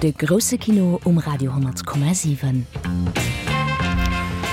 De grousse Kino um Radio 10,7.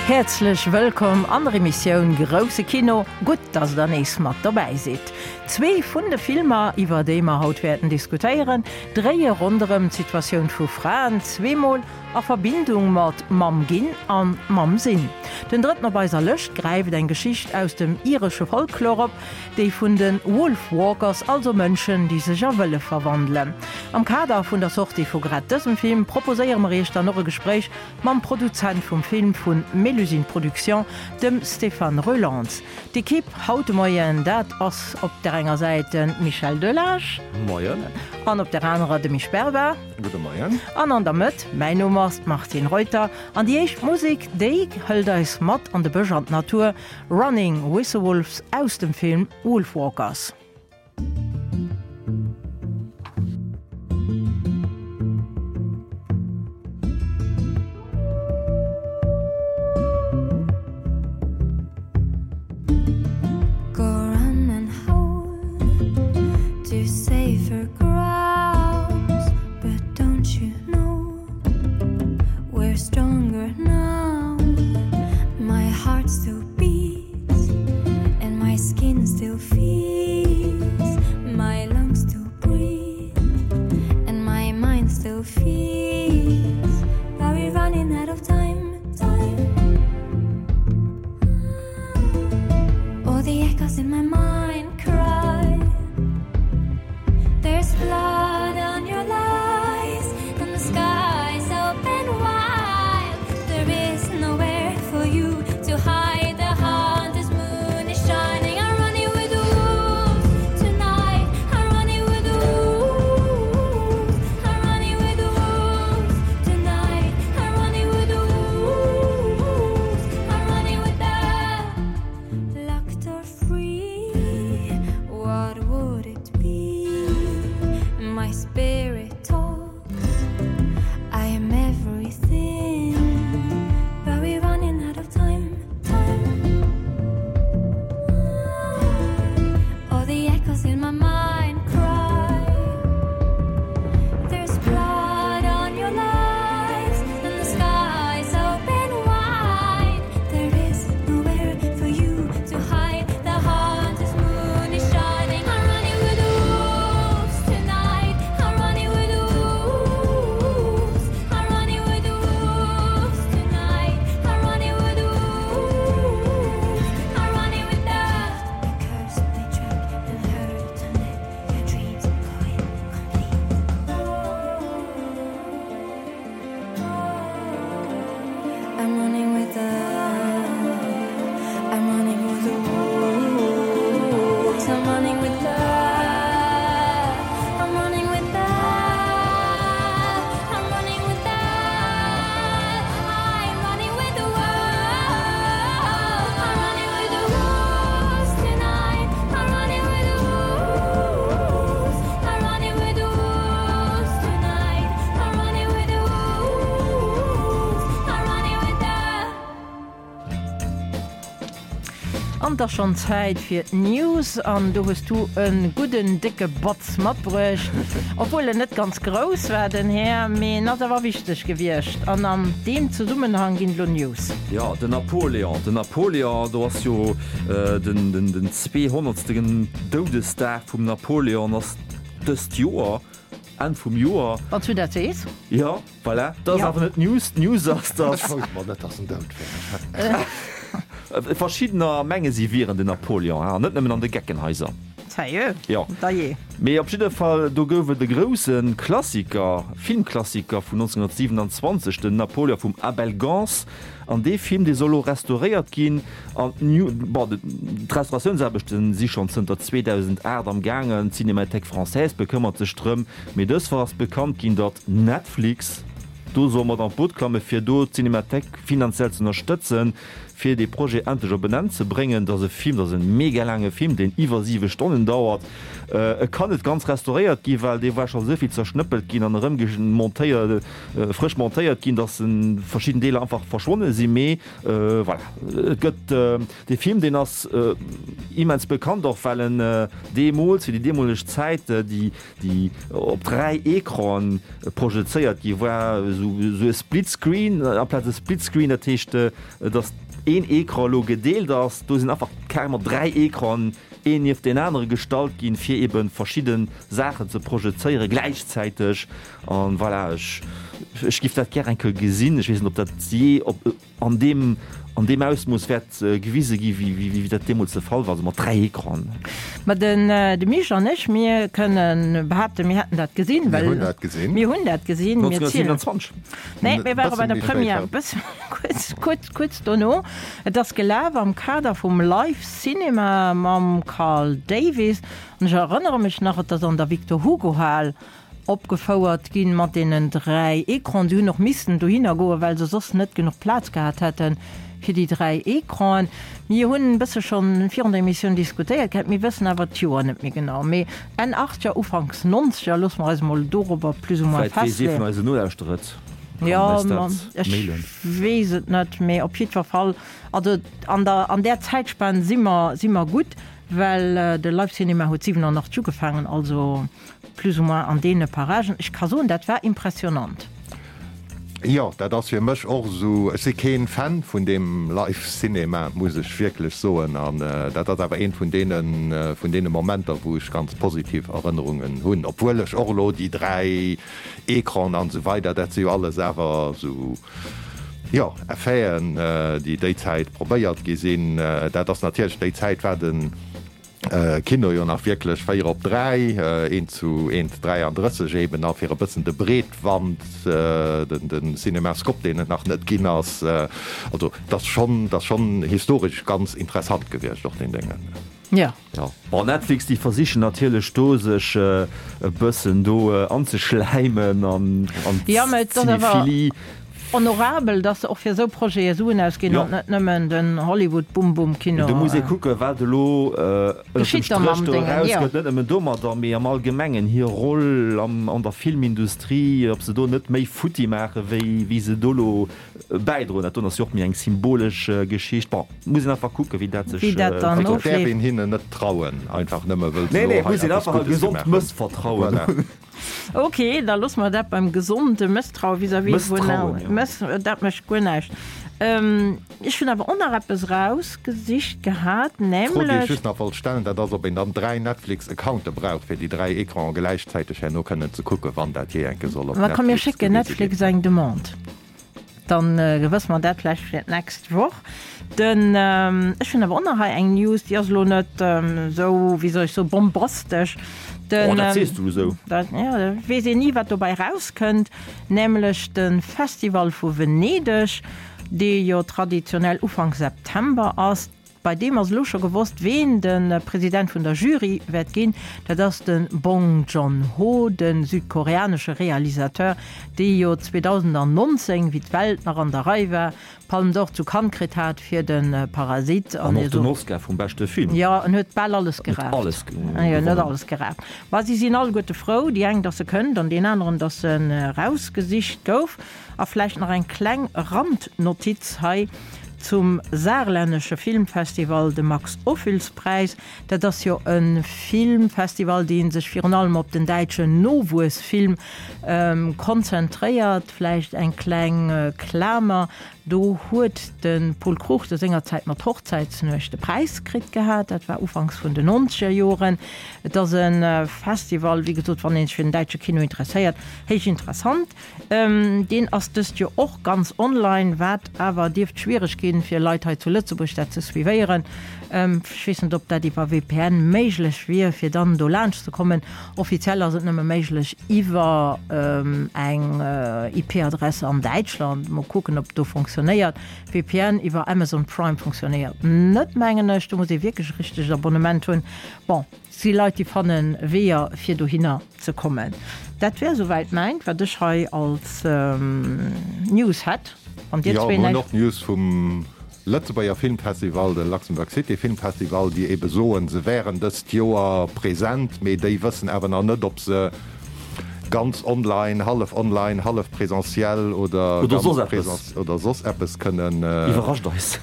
Häerzlech wëllkomm an der Emissioun Grousse Kino. Gutt, dass der nees mat dobäi sidd. Zwee vun de Filmer, iwwer déi mer haut wäerten diskutéieren, dréie ronderëm d'Situatioun vu Fraen, zweemol a Verbindung mat Mamm ginn an Mamm sinn. Den drëtten op eiser Lëscht gräift eng Geschicht aus dem iresche Folklor op, déi vun de Wolfwalkers, also Mënschen, déi sech a Wëllef verwandelen. Am Kader vun der Sortie vu grad dësem Film proposéiere mer Iech dann och e Gespréich mam Produzent vum Film vu Mélusine Productions, dem Stéphane Roelants. D'Ekipp haut de Moien, dat ass op der enger Säit de Michel Delage. Moien. An op der anerer de Misch Berber. Gudde Moien. An an der Mëtt, mäin Numm ass d'Martine Reuter. An déi éischt Musek, déi hëlt eis mat an de Bësch an d'Natur. Running with the Wolves aus dem Film Wolfwalkers. Go run and howl to safer grounds, but don't you know we're stronger now? My heart still beats and my skin still feels, my lungs still breathe and my mind still feels. Are we running out of time? Time. All the echoes in my mind cry. There's blood on your lies and the sky's open wide. There is nowhere for you to hide. The hunter's moon is shining. I'm running with the wolves tonight. I'm running with the wolves. I'm running with the wolves tonight. I'm running with the wolves. I'm running with the locked or free. What would it be? My spirit talks. I am everything, but we're running out of time. Time. All the echoes in my mind cry. There's blood on your lies and the sky's open wide. There is nowhere for you to hide. The hunter's moon is shining. I'm running with the wolves tonight. I'm running with the wolves. I'm running with the wolves tonight. I'm running with the wolves. I'm running with the curse they track and hurt and let your dreams go incomplete. I'm running with the I'm running with the wolves. I'm running with the I'm running with the I'm running with the I'm running with the wolves. I'm running with the wolves tonight. I'm running with the wolves. I'm running with the wolves tonight. I'm running with the wolves. I'm running with the An et ass schonn Zäit fir d'News an do hues du e gudden décke Batz matbruecht. Obwuel en net ganz grouss war, den Här, mee en ass awer wichteg gewiescht. An an deem Zesummenhang ginn elo News. Jo, den Napoleon, den Napoleon, do ass jo den den zweehonnertsten Doudesdag vum Napoleon ass dëst Joer, Enn vum Joer. Wann s du dat sees. Jo. Voilà, dat ass awer net d'News. D'News ass, dass. Ech wousst mol net, dass en dout wär. Verschiddener menge si wieren den Napoleon, an net nëmmen an de Geckenhaiser. Sérieux? Jo. Dajee. Mee op jidde Fall, do gouf et e grousse Klassiker, Filmklassiker vun 1927, den Napoleon vum Abel Gance. An dee Film, dee soll elo restauréiert ginn. An d'New, bon, d'Restauratiounsaarbechte si schonn zënter 2008 am gaangen. D'Cinémathèque française bekëmmert sech drëm. Mee dës Woch ass bekannt ginn, datt Netflix. do soll mat an d'Boot klamme fir do d'Cinémathèque finanziell ze ënnerstëtzen, fir dee Projet endlech op en Enn ze bréngen. Dat ass e Film, dat ass e mega laange Film, deen iwwer 7 Stonnen dauert. E kann net ganz restauréiert ginn, well dee war scho esou vill zerschnëppelt ginn an erëm montéiert, frësch montéiert ginn, datt verschidden Deeler einfach verschwonne sinn. Mee voilà, et gëtt dee Film, deen ass immens bekannt, och well en deemools, fir déi deemoleg Zäit, déi déi op 3 Ecranen projezéiert gi war, esou e Split Screen amplaz e Split Screen, dat heescht, datt een Ecran elo gedeelt ass, do sinn einfach carrément 3 Ecranen een nieft deen anere gestallt ginn, fir ebe verschidde Saachen ze projezéiere gläichzäiteg. An voilà, ech ech giff dat gär eng Kéier gesinn. Ech weess net, ob dat jee op. An deem, an deem Ausmooss wäert gewise gi wéi, wéi dat deemools de Fall war, also mat 3 Ecranen. Ma den, de Misch an ech, mir kënnen behaapten, mir hätten dat gesinn, well. Mir hunn dat gesinn. Mir hunn dat gesinn. Mir zielen. 1927. Nee, mir ware bei der Première, e bësse kuerz, kuerz, kuerz dono. Et ass gelaf am Kader vum Live Cinema mam Carl Davis. An ech erënnere mech nach, et ass an der Victor Hugo Hal Opgefouert ginn mat deenen 3 Ecranen. Si hunn och missten dohinner goen, well se soss net genuch Plaz gehat hätte fir déi 3 Ecranen. Mir hunn e bësse schonn virun der Emissioun diskutéiert gehat, mir wëssen awer d'Joer net méi genau, mee Enn Achtzeger, Ufanks Nonzeger, loosse mer eis emol dorobber plus ou moins Vläit weess ee festleeën. vun eisen Nolauschterer et, kann Jo, eis ma dat ech mailen. weess et net, mee op jiddwer Fall, also an der, an där Zäitspan si mer, si mer gutt, well de Live Cinema huet 87 ugefaangen, also. Plus ou moins an deene Paragen. Ech ka soen, dat war impressionant. Jo, dat ass fir mech och esou. Ech si keen Fan vun deem Live Cinema, muss ech wierklech soen. An dat ass awer eent vun deene, vun deene Momenter, wou ech ganz positiv Erënnerungen hunn. Obwuel ech och elo déi 3 Ecranen an esou weider, dat si jo alles awer esou, jo, Effeten, déi déi Zäit probéiert gi sinn. Dat ass natierlech, déi Zäit war den. Kino jo nach wierklech 4 op 3, eent zu eent 33 eben, a fir e bëssen de Breetwand, den Cinemascope, deen et nach net ginn ass. Also et ass schonn, et ass schonn historesch ganz interessant gewiescht och deen Déngen. Jo. Jo, bon Netflix déi versichen natierlech do sech e bëssen do anzeschläimen an an d'Cinephilie. Honorabel, dass se och fir esou Projete Suen ausginn an net nëmmen den Hollywood-Bum-Bum-Kino. Do muss ee kucken, wat elo ënnert dem Stréch do erausgëtt, net nëmmen domadder, mee am Allgemengen hir Roll an der Filmindustrie, ob se do net méi futti maache wéi se do elo bäidroen. Dat doen ass jo och méi eng symbolesch Geschicht. Bon, muss een einfach kucken, wéi dat sech entwéckelt. Et däerf een hinnen net trauen, einfach nëmme wëll se elo hei eppes Guddes gemaach hunn. Mëssvertrauen hunn. Ok, da loosse mer dat beim gesonde Mësstraue vis-à-vis vun. Mësstrauen, jo. Mëss, dat mécht guer näischt. Ech hunn awer och nach eppes erausgesicht gehat, D'Fro, déi ech nämlech. just nach wollt stellen, dat ass, ob een dann 3 Netflix-Accounte brauch, fir déi 3 Ecranen gläichzäiteg herno kënnen ze kucken, wann dat jee enke soll op Ma komm, mir Netflix schécken gewise Netflix ginn. eng Demande. Dann wësse mer dat vläicht fir d'nächst Woch. Den, ech hunn awer och nach hei eng News, déi ass elo net esou, wéi soll ech soen, bombastesch. Den, Oh, dat sees du esou. Dat, jo, da weess een ni, wat dobäi erauskënnt, nämlech de Festival vu Venedeg, dee jo traditionell Ufank September ass. Bei deem ass elo scho gewosst, ween de President vun der Jury wäert ginn. Dat ass de Bong Joon-ho, de südkoreanesche Realisateur, dee jo 2019, wéi d'Welt nach an der Rei war, d'Palme d'Or zu Cannes kritt hat fir de Parasite. An och den Oscar vum beschte Film. Jo, en huet bal alles geraaft. Alles gewonnen. Net alles geraaft. Ma si sinn alleguerte frou, déi eng, datt e kënnt an deen aneren, datt en erausgesicht gouf. A vläicht nach eng kleng Randnotiz hei zum saarlännesche Filmfestival, de Max-Ophüls-Präis. Dat ass jo e Filmfestival, dee sech virun allem op den däitschen Nowuessfilm konzentréiert. Vläicht eng kleng Klamer, Do huet de Pol Cruchten sengerzäit mat Hochzäitsnuecht de Präis kritt gehat. Dat war ufanks vun den nonzeger Joren. Et ass e Festival, wéi gesot, wann ee sech fir den däitsche Kino interesséiert, héich interessant. Deen ass dëst Joer och ganz online, wat awer dierft schwiereg ginn, fir Leit hei zu Lëtzebuerg dat ze suivéieren. Ech weess net, ob dat iwwer VPN méiglech wier, fir dann do laanscht ze kommen. Offiziell ass et nëmme méiglech iwwer eng IP-Adresse an Däitschland. Mol kucken, ob do funktionéiert. funktionéiert. VPN iwwer Amazon Prime funktionéiert net, mengen ech. Do muss ee wierklech e richtegt Abonnement hunn. Bon, et si Leit, déi fanne Weeër, fir dohinner ze kommen. Dat wär souwäit mäint, wat ech hei als News hätt. Wann Dir zwee näischt. Jo, mir hunn och News vum Lëtzebuerger Filmfestival, de Luxembourg City Film Festival, déi ebe soen, se wären dëst Joer present, mee déi wëssen awer nach net, ob se ganz online, hallef online, hallef presentiel oder ganz presentiel oder soss eppes kënnen. Iwwerrascht eis.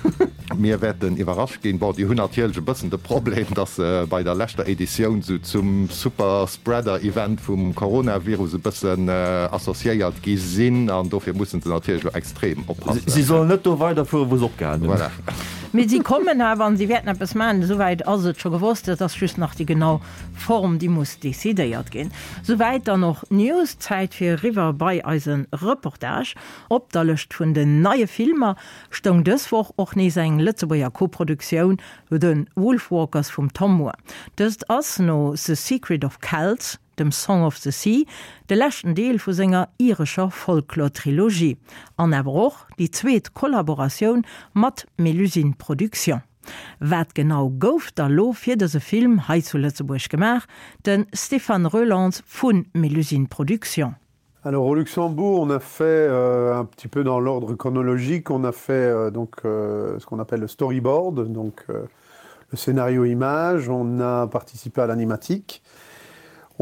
Mir wäerten iwwerrascht ginn. Bon, déi hunn natierlech e bëssen de Problem, datt se bei der leschter Editioun sou zum Super-Spreader-Event vum Coronavirus e bëssen associéiert gi sinn an dofir mussen se natierlech elo extrem oppassen. Si sollen net do weiderfueren, wou se opgehalen hunn. Voilà. Mee si kommen awer an si wäerten eppes maachen. Esouwäit ass et scho gewosst. Et ass just nach déi genau Form, déi muss decidéiert ginn. Souwäit dann och d'News. Zäit fir eriwwer bei eise Reportage. Op der Lëscht vun den neie Filmer stoung dës Woch och nees eng Lëtzebuerger Koproduktioun, The Wolfwalkers vum Tomm Moore. Dëst ass no The Secret of Kells, dem Song of the Sea, de leschten Deel vu senger irescher Folklor-Trilogie an awer och déi zweet Kollaboratioun mat Mélusine Productions. Wat genau gouf da lo fir dëse Film hei zu Lëtzebuerg gemaach? De Stéphane Roelants vu Mélusine Productions. Alors au Luxembourg, on a fait euh, un petit peu dans l'ordre chronologique, on a fait euh, donc euh, ce qu'on appelle le storyboard, donc euh, le scénario image, on a participé à l'animatique.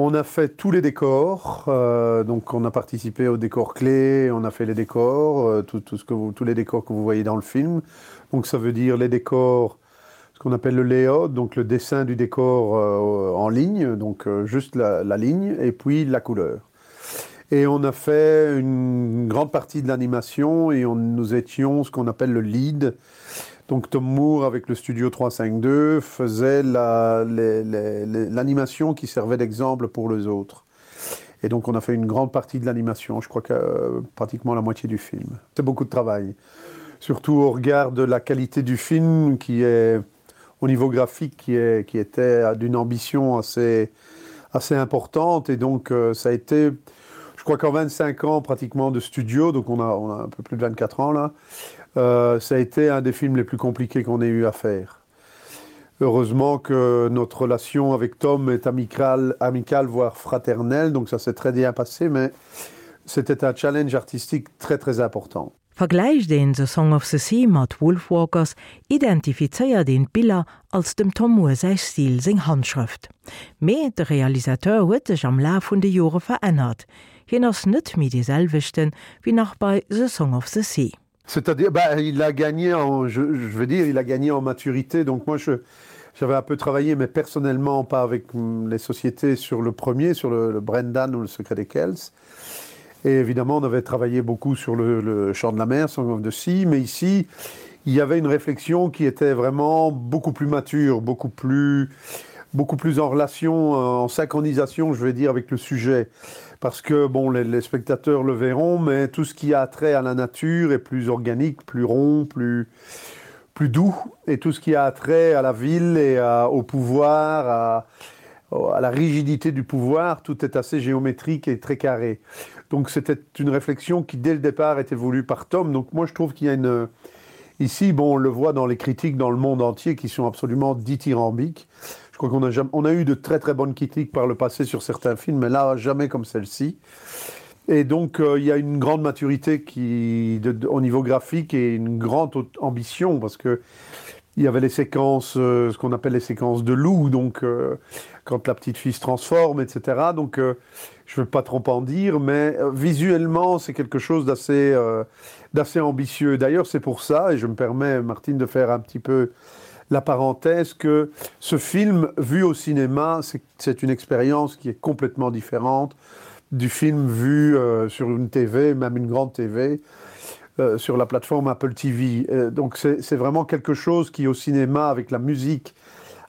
On a fait tous les décors, euh, donc on a participé aux décors clés, on a fait les décors, euh, tout, tout ce que vous, tous les décors que vous voyez dans le film. Donc ça veut dire les décors, ce qu'on appelle le layout, donc le dessin du décor euh, en ligne, donc euh, juste la, la ligne et puis la couleur. Et on a fait une grande partie de l'animation et on, nous étions ce qu'on appelle le lead. Donc Tom Moore avec le studio 352 faisait l'animation la, qui servait d'exemple pour les autres. Et donc on a fait une grande partie de l'animation, je crois que euh, pratiquement la moitié du film. C'est beaucoup de travail. Surtout au regard de la qualité du film qui est au niveau graphique qui, est, qui était d'une ambition assez, assez importante et donc euh, ça a été je crois qu'en 25 ans pratiquement de studio donc on a, on a un peu plus de 24 ans là euh, ça a été un des films les plus compliqués qu'on ait eu à faire. Heureusement que notre relation avec Tom est amicale, amicale voire fraternelle, donc ça s'est très bien passé, mais c'était un challenge artistique très très important. Vergläicht een The Song of the Sea mat Wolfwalkers, identifizéiert een d'Biller als dem Tom Moore säi Stil, seng Handschrëft. Mee de Realisateur huet sech am Laf vun de Jore verännert, hien ass net méi dee selwechten wéi nach bei The Song of the Sea. C'est-à-dire bah, il a gagné en je, je veux dire il a gagné en maturité donc moi je j'avais un peu travaillé mais personnellement pas avec les sociétés sur le premier sur le, le Brendan ou le secret des Kells et évidemment on avait travaillé beaucoup sur le, le champ de la mer Song of the Sea mais ici il y avait une réflexion qui était vraiment beaucoup plus mature beaucoup plus beaucoup plus en relation euh, en synchronisation je vais dire avec le sujet parce que bon les, les spectateurs le verront mais tout ce qui a trait à la nature est plus organique plus rond plus plus doux et tout ce qui a trait à la ville et à, au pouvoir à, à la rigidité du pouvoir tout est assez géométrique et très carré donc c'était une réflexion qui dès le départ était voulue par Tom donc moi je trouve qu'il y a une ici bon on le voit dans les critiques dans le monde entier qui sont absolument dithyrambiques je crois qu'on a jamais on a eu de très très bonnes critiques par le passé sur certains films mais là jamais comme celle-ci et donc euh, il y a une grande maturité qui de, de, au niveau graphique et une grande ambition parce que il y avait les séquences euh, ce qu'on appelle les séquences de loup donc euh, quand la petite fille se transforme etc donc euh, je veux pas trop en dire mais euh, visuellement c'est quelque chose d'assez euh, d'assez ambitieux d'ailleurs c'est pour ça et je me permets martine de faire un petit peu la parenthèse que ce film vu au cinéma c'est une expérience qui est complètement différente du film vu euh, sur une TV même une grande TV euh, sur la plateforme Apple TV euh, donc c'est vraiment quelque chose qui au cinéma avec la musique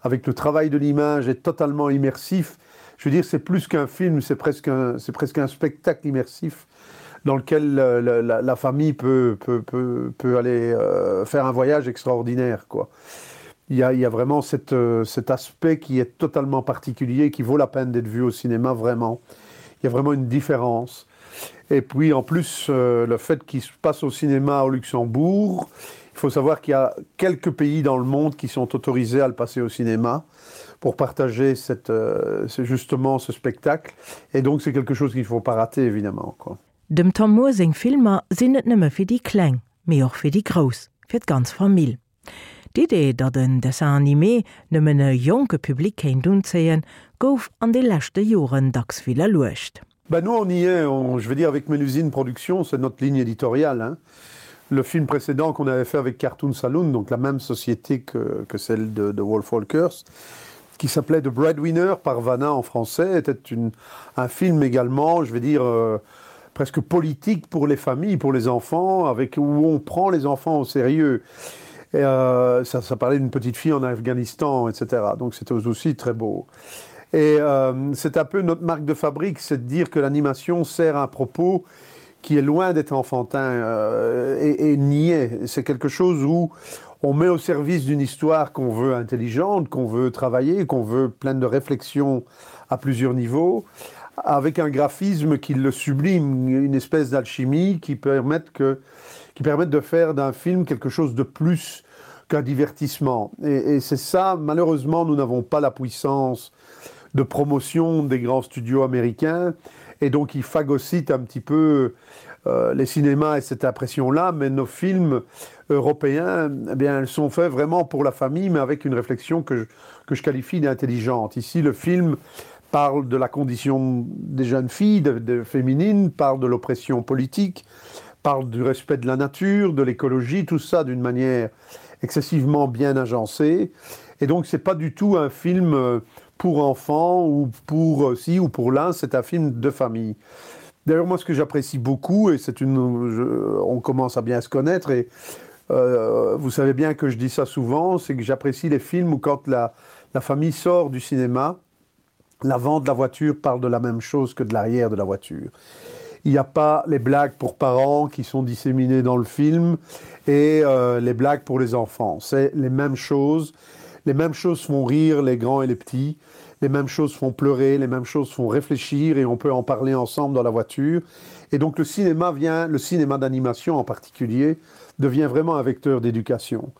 avec le travail de l'image est totalement immersif je veux dire c'est plus qu'un film c'est presque un c'est presque un spectacle immersif dans lequel euh, la, la, la famille peut peut peut, peut aller euh, faire un voyage extraordinaire quoi il y a, il y a vraiment cette, euh, cet aspect qui est totalement particulier qui vaut la peine d'être vu au cinéma vraiment il y a vraiment une différence. Et puis en plus euh, le fait qu'il se passe au cinéma au Luxembourg, il faut savoir qu'il y a quelques pays dans le monde qui sont autorisés à le passer au cinéma pour partager cette euh, justement ce spectacle et donc c'est quelque chose qu'il faut pas rater évidemment quoi. Dem Tom Moore seng Filmer sinn net nëmme fir déi Kleng, mee och fir déi Grouss, fir d'ganz Famill. D'Idee, datt en Dessin animé nëmmen e jonke Public kéint unzéien, gouf an de leschte Joren dacks widderluecht. Ben nous on y est, on, je veux dire avec Mélusine Productions, c'est notre ligne éditoriale hein. Le film précédent qu'on avait fait avec Cartoon Saloon, donc la même société que, que celle de, de Wolf Walkers, qui s'appelait The Breadwinner par Vanna en français, était une, un film également, je vais dire euh, presque politique pour les familles, pour les enfants, avec où on prend les enfants au sérieux. Et euh, ça, ça parlait d'une petite fille en Afghanistan, etc. Donc c'était aussi très beau. Et euh, c'est un peu notre marque de fabrique, c'est de dire que l'animation sert un propos qui est loin d'être enfantin euh, et, et niais. C'est quelque chose où on met au service d'une histoire qu'on veut intelligente, qu'on veut travailler, qu'on veut pleine de réflexions à plusieurs niveaux, avec un graphisme qui le sublime, une espèce d'alchimie qui permette que qui permettent de faire d'un film quelque chose de plus qu'un divertissement. Et, et c'est ça, malheureusement, nous n'avons pas la puissance de promotion des grands studios américains et donc ils phagocytent un petit peu euh, les cinémas et cette impression là, mais nos films européens, eh bien, elles sont faits vraiment pour la famille, mais avec une réflexion que je, que je qualifie d'intelligente. Ici, le film parle de la condition des jeunes filles, de, de féminines, parle de l'oppression politique, parle du respect de la nature, de l'écologie, tout ça d'une manière excessivement bien agencée. Et donc c'est pas du tout un film euh, pour enfants ou pour euh, ci ou pour l'un, c'est un film de famille. D'ailleurs moi ce que j'apprécie beaucoup et c'est une je, on commence à bien se connaître et euh, vous savez bien que je dis ça souvent, c'est que j'apprécie les films où quand la, la famille sort du cinéma, l'avant de la voiture parle de la même chose que de l'arrière de la voiture. Il n'y a pas les blagues pour parents qui sont disséminées dans le film et euh, les blagues pour les enfants. C'est les mêmes choses. Les mêmes choses font rire les grands et les petits. Les mêmes choses font pleurer, les mêmes choses font réfléchir et on peut en parler ensemble dans la voiture. Et donc le cinéma vient, le cinéma d'animation en particulier, devient vraiment un vecteur d'éducation.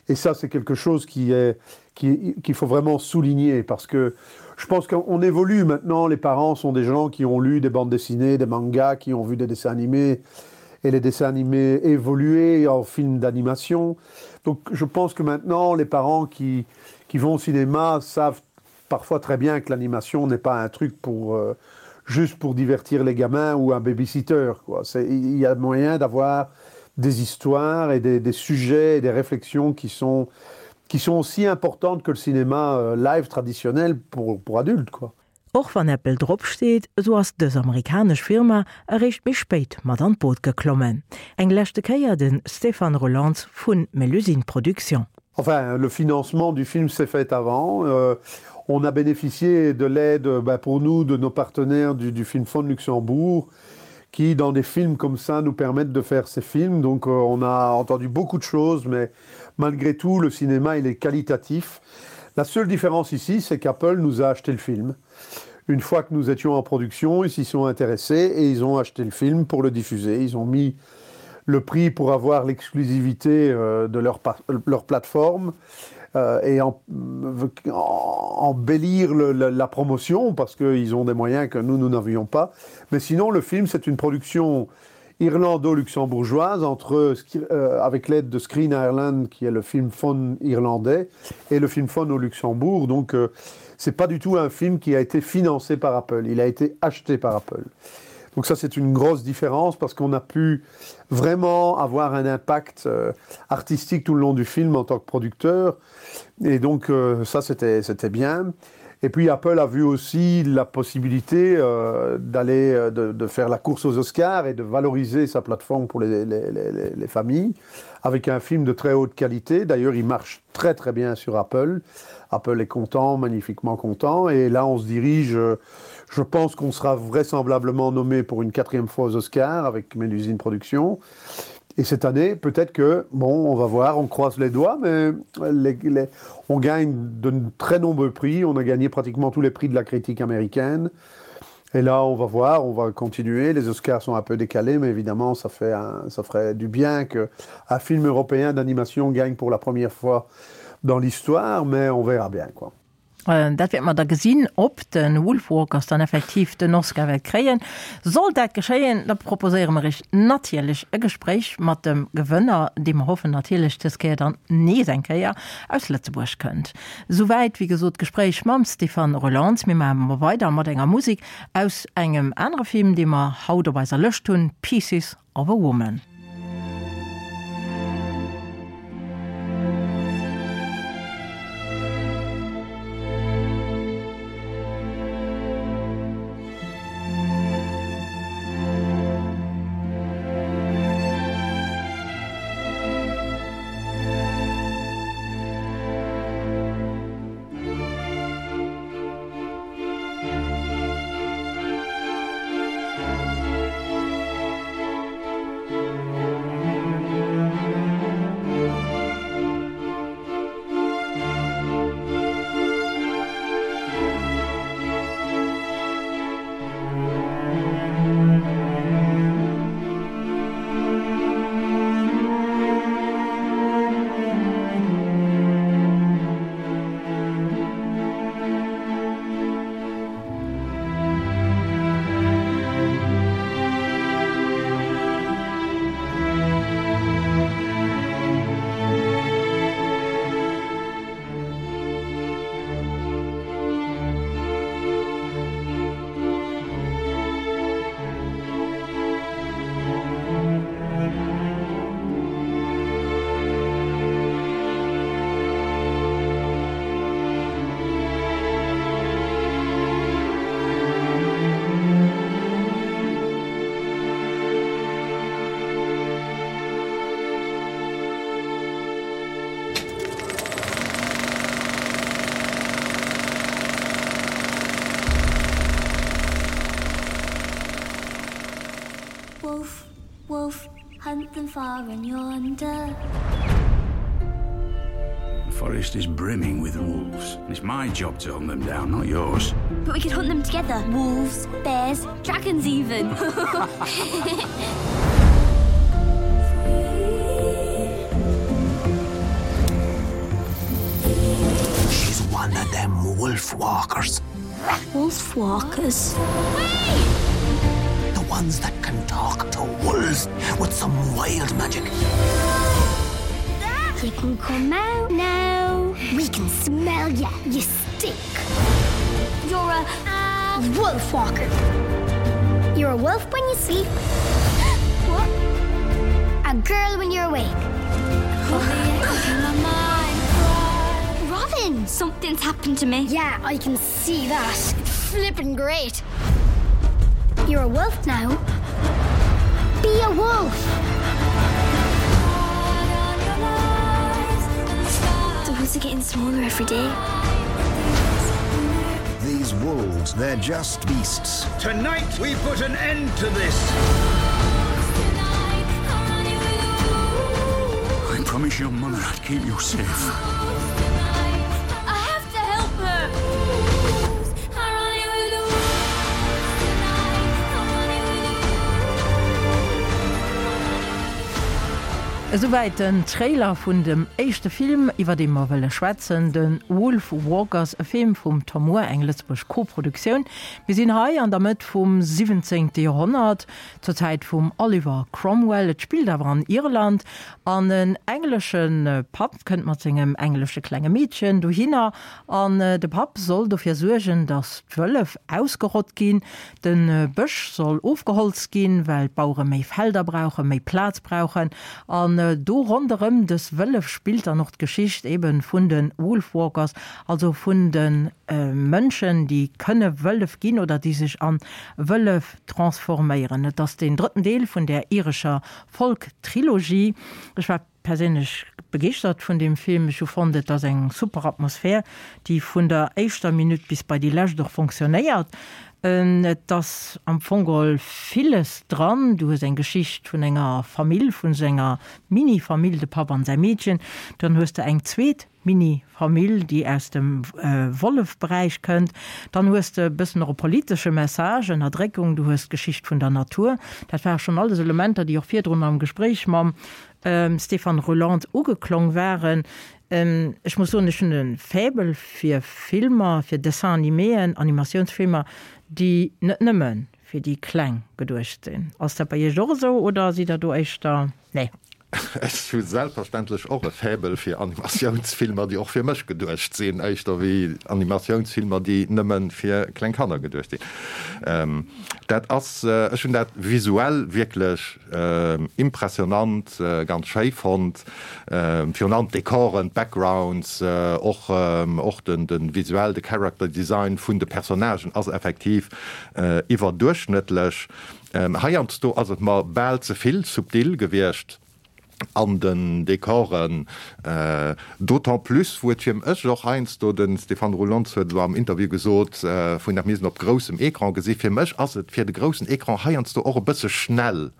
Et ça, c'est quelque chose qui est qu'il qui faut vraiment souligner parce que je pense qu'on évolue maintenant, les parents sont des gens qui ont lu des bandes dessinées, des mangas, qui ont vu des dessins animés et les dessins animés évoluer en films d'animation. Donc je pense que maintenant les parents qui, qui vont au cinéma savent parfois très bien que l'animation n'est pas un truc pour euh, juste pour divertir les gamins ou un babysitter quoi. Il y a moyen d'avoir des histoires et des, des sujets et des réflexions qui sont, qui sont aussi importantes que le cinéma euh, live traditionnel pour, pour adultes quoi. Och wann Apple drop steet, esou ass dës amerikanesch Firma eréischt méi spéit mat an d'Boot geklommen. Eng leschte Kéier de Stéphane Roelants vu Melusine Productions. Enfin, le financement du film s'est fait avant. Euh, on a bénéficié de l'aide ben, pour nous de nos partenaires du, du film Fonds de Luxembourg qui, dans des films comme ça, nous permettent de faire ces films. Donc euh, on a entendu beaucoup de choses, mais malgré tout, le cinéma il est qualitatif. La seule différence ici, c'est qu'Apple nous a acheté le film. Une fois que nous étions en production, ils s'y sont intéressés et ils ont acheté le film pour le diffuser. Ils ont mis le prix pour avoir l'exclusivité euh, de leur, leur plateforme euh, et en, embellir le, la, la promotion parce qu'ils ont des moyens que nous, nous n'avions pas. Mais sinon, le film, c'est une production irlando-luxembourgeoise entre euh, avec l'aide de Screen Ireland qui est le film phone irlandais et le film phone au Luxembourg. Donc euh, c'est pas du tout un film qui a été financé par Apple, il a été acheté par Apple. Donc ça c'est une grosse différence parce qu'on a pu vraiment avoir un impact euh, artistique tout le long du film en tant que producteur et donc euh, ça c'était bien. Et puis Apple a vu aussi la possibilité euh, d'aller euh, de, de faire la course aux Oscars et de valoriser sa plateforme pour les, les, les, les familles avec un film de très haute qualité. D'ailleurs, il marche très très bien sur Apple. Apple est content, magnifiquement content. Et là, on se dirige, euh, je pense qu'on sera vraisemblablement nommé pour une quatrième fois aux Oscars avec Mélusine Productions. Et cette année, peut-être que, bon, on va voir, on croise les doigts, mais les, les, on gagne de très nombreux prix. On a gagné pratiquement tous les prix de la critique américaine. Et là, on va voir, on va continuer. Les Oscars sont un peu décalés, mais évidemment, ça, fait un, ça ferait du bien qu'un film européen d'animation gagne pour la première fois dans l'histoire, mais on verra bien quoi. Dat wäerte mer da gesinn, ob de Wolfwalkers dann effektiv den Oscar wäert kréien. Sollt dat geschéien, da proposéiere mer iech natierlech e Gespréich mat dem Gewënner, dee mer hoffen natierlech dës Kéier dann nees eng Kéier aus Lëtzebuerg kënnt. Souwäit, wéi gesot, d'Gespréich mam Stéphane Roelants. Mir maache mer weider mat enger Musek aus engem anere Film, dee mer haut op eiser Lëscht hunn, Pieces of a Woman. Wolf, wolf, hunt them far and yonder. The forest is brimming with wolves. It's my job to hunt them down, not yours. But we could hunt them together. Wolves, bears, dragons even. She's one of them wolf walkers. Wolf walkers? The ones that can talk to wolves with some wild magic. You can come out now. We can smell you. You stink. You're a wolf walker. You're a wolf when you sleep. What? A girl when you're awake. Robin, something's happened to me. Yeah, I can see that. Flipping great. You're a wolf now. Be a wolf. The woods are getting smaller every day. These wolves, they're just beasts. Tonight we put an end to this. I promise your mother I'd keep you safe. I have to help her. Esouwäit den Trailer vun dem éischte Film, iwwer dee mer wëlle schwätzen, de Wolf Walkers, e Film vum Tom Moore, eng Lëtzebuerg Koproduktioun. Mir sinn hei an der Mëtt vum siwwenzéngte Joerhonnert, zur Zäit vum Oliver Cromwell. Et spillt awer an Irland an en englesche Papp kënnt mat sengem englesche klenge Meedchen dohinner an de Papp soll dofir suergen, datt d'Wëllef ausgerott ginn. De Bësch soll ofgeholzt ginn, well d'Bauere méi Felder brauchen, méi Plaz brauchen. An do ronderëm dës Wëllef spillt dann och d'Geschicht ebe vun de Wolfwalkers, also vun de Mënschen, déi kënne Wëllef ginn oder déi sech a Wëllef transforméieren. Et ass deen drëtten Deel vun där irescher Folk-Trilogie. Ech war. perséinlech begeeschtert vun deem Film. Ech hu fonnt, et ass eng super Atmosphär, déi vun der éischter Minutt bis bei déi lescht och fonctionnéiert. Et ass am Fong geholl villes dran. Du hues eng Geschicht vun enger Famill, vun esou enger Mini-Famill, de Papp an säi Meedchen. Dann hues de eng zweet Mini-Famill, déi aus dem Wollef-Beräich kënnt. Dann hues de e bëssen och e politesche Message, Ënnerdréckung, du hues d'Geschicht vun der Natur. Dat ware schonn alles Elementer, déi och virdrun am Gespréich mam Stéphane Rolland ugeklong waren. Ech muss soen, ech hunn e Faible fir Filmer, fir Dessin-animéen, Animatiounsfilmer, déi net nëmme fir déi Kleng geduecht sinn. Ass dat bei Iech och esou oder sidd Der do éischter, nee? Ech hu selbstverständlech och e Faible fir Animatiounsfilmer, déi och fir mech geduecht sinn, éischter wéi Animatiounsfilmer, déi nëmme fir kleng Kanner geduecht sinn. Dat ass, ech hunn dat visuell wierklech impressionant, ganz schéi fonnt. Virun allem d'Dekoren, d'Backgrounds, och och den den visuell, de Character Design vun de Personnagen ass effektiv iwwerduerchschnëttlech. Heiansdo ass et mer bal ze vill subtil gewiescht an den Dekoren, d'autant plus wou et fir mech och heiansdo, de Stéphane Rulonz huet elo am Interview gesot, vun dat mir se op groussem Ecran gesi, fir mech ass et fir de groussen Ecran heiansdo och e bësse schnell.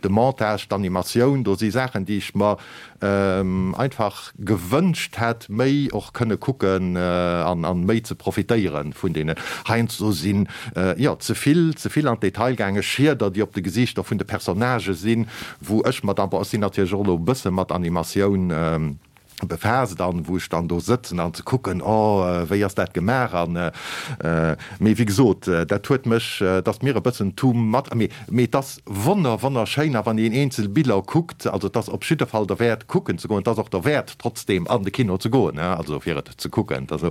De Montage, d'Animatioun, do si Saachen, déi ech mer einfach gewënscht hätt, méi och kënne kucken an méi ze profitéiere vun deenen. Heiansdo sinn, jo, ze vill, ze vill an d'Detail gaange, Schieder, déi op de Gesiichter vun de Personnagë sinn, wou ech mer dann, bon, ech sinn natierlech och elo e bësse mat Animatioun befaasst an wou ech dann do sëtzen an ze kucken, oh wéi ass dat gemaach an mee wéi gesot, dat huet mech, et ass mir e bëssen too much, mee mee et ass wonner wonnerschéin a wann een eenzel Biller kuckt, also et ass op jidde Fall derwäert kucken ze goen, et ass och derwäert trotzdeem an de Kino ze goen, also fir et ze kucken, also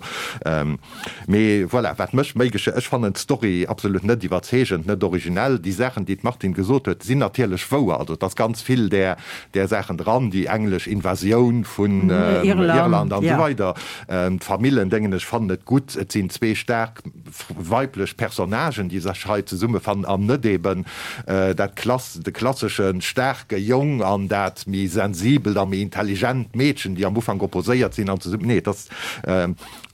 mee voilà, wat mech méi gesche, ech fannen d'Story absolut net iwwerzeegend, net originell, déi Saachen déi d'Martine gesot huet sinn natierlech wouer, also et ass ganz vill där där Saachen dran, déi englesch Invasioun vun Irland an esou weider. D'Famillen, dengen ech, fannen et gutt. Et sinn zwee staark weiblech Personnagen, déi sech hei zesummefannen an net eben dat klass, de klassesche staarke Jong an dat méi sensibelt a méi intelligent Meedchen, déi am Ufank opposéiert sinn an zesummen, nee, et ass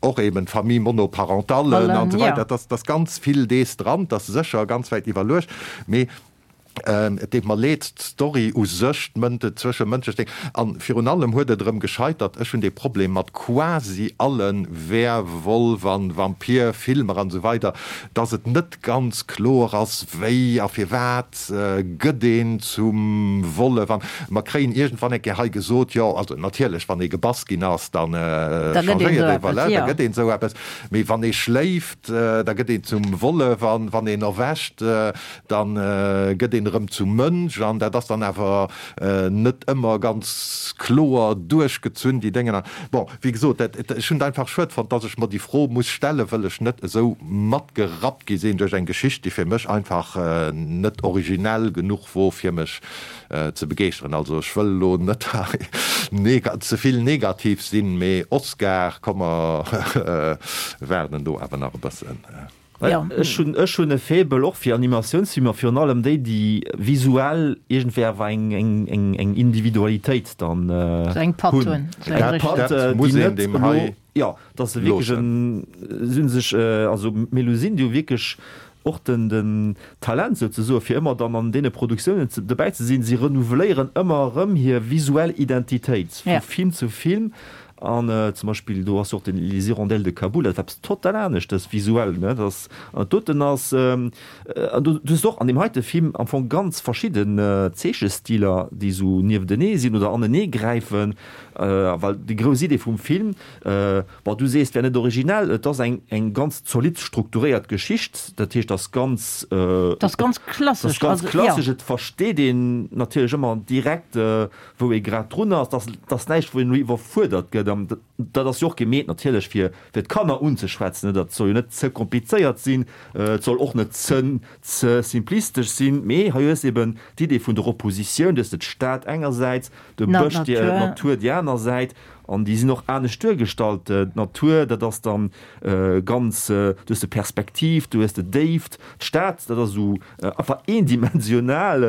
och eben d'Famille monoparentale an esou weider. Et ass ganz vill dees dran, et ass sécher ganz wäit iwwerluecht, mee Et deet mer leed, d'Story u sech, d'Zwëschemënschlech Ding, an virun allem huet et erëm gescheitert, ech hunn dee Problem mat quasi alle Werwolf an Vampir-Filmer an esou weider, dass et net ganz kloer ass, wéi a firwat gëtt een zum Wollef. An mer kréien iergendwann eng Kéier hei gesot, jo, also natierlech, wann ee gebass ginn ass, da changéiert ee, voilà, da gëtt een esou eppes, mee wann ee schléift, da gëtt een zum Wollef, an wann een erwächt, Dann gëtt een erëm zum Mënsch an dat ass dann awer net ëmmer ganz kloer duerchgezunn, déi Déngen. Bon, wéi gesot, dat, ech hunn et einfach schued fonnt, dass ech mer déi Fro muss stellen, wëll ech net esou matgerappt gi sinn duerch eng Geschicht, déi fir mech einfach net originell genuch wor, fir mech ze begeeschteren. Also ech wëll elo net hei ze vill negativ sinn, mee Oscar, komm mer waarden do awer nach e bëssen. Ja. Ech hunn ech hunn e Faible och fir Animatiounsfilmer, virun allem déi, déi visuell iergendwéi awer eng eng eng eng Individualitéit dann So eng Patt hunn. hunn. So eng Eng richtig. Patt, Dat muss déi een net deem elo, hei jo, dass se wierklech loossen. en, si hunn sech, also d'Melusine, déi hu wierklech och den den Talent souzesoe fir ëmmer dann an deene Produktiounen ze dobäi ze sinn. Si renouveléieren ëmmer erëm hir visuell Identitéit vu Ja. Film zu Film. An zum Beispill do ass jo och den Les Hirondelles de Kaboul, dat ass eppes total aneschtes visuell, ne, dat ass, an dat doten ass, an do hues de och an deem heite Film am Fong ganz verschidden Zeechestiler, déi esou nieftenee sinn oder anenee gräifen, well déi grouss Idee vum Film, bon, du sees, et wär net originell, et ass eng eng ganz zolidd strukturéiert Geschicht, dat heescht, ass ganz, Et ass ganz klassesch, ass ganz also, jo. klassesch, et versteet een natierlech ëmmer direkt, wou ee grad drun ass, dass dass näischt wou een elo iwwerfuerdert gëtt an dat ass jo och gemeet natierlech fir fir d'Kanner unzeschwätzen, dat soll jo net ze komplizéiert sinn, et soll och net ze ze simplistesch sinn, mee hei hues eben d'Idee vun der Oppositioun, du hues de d'Stad engersäits, de Bësch, d'Natur déi aner Säit. An déi sinn och anescht duergestallt. D'Natur, dat ass dann ganz, du hues de Perspektiv, du hues de Déift. D'Stad, dat ass esou einfach eendimensional.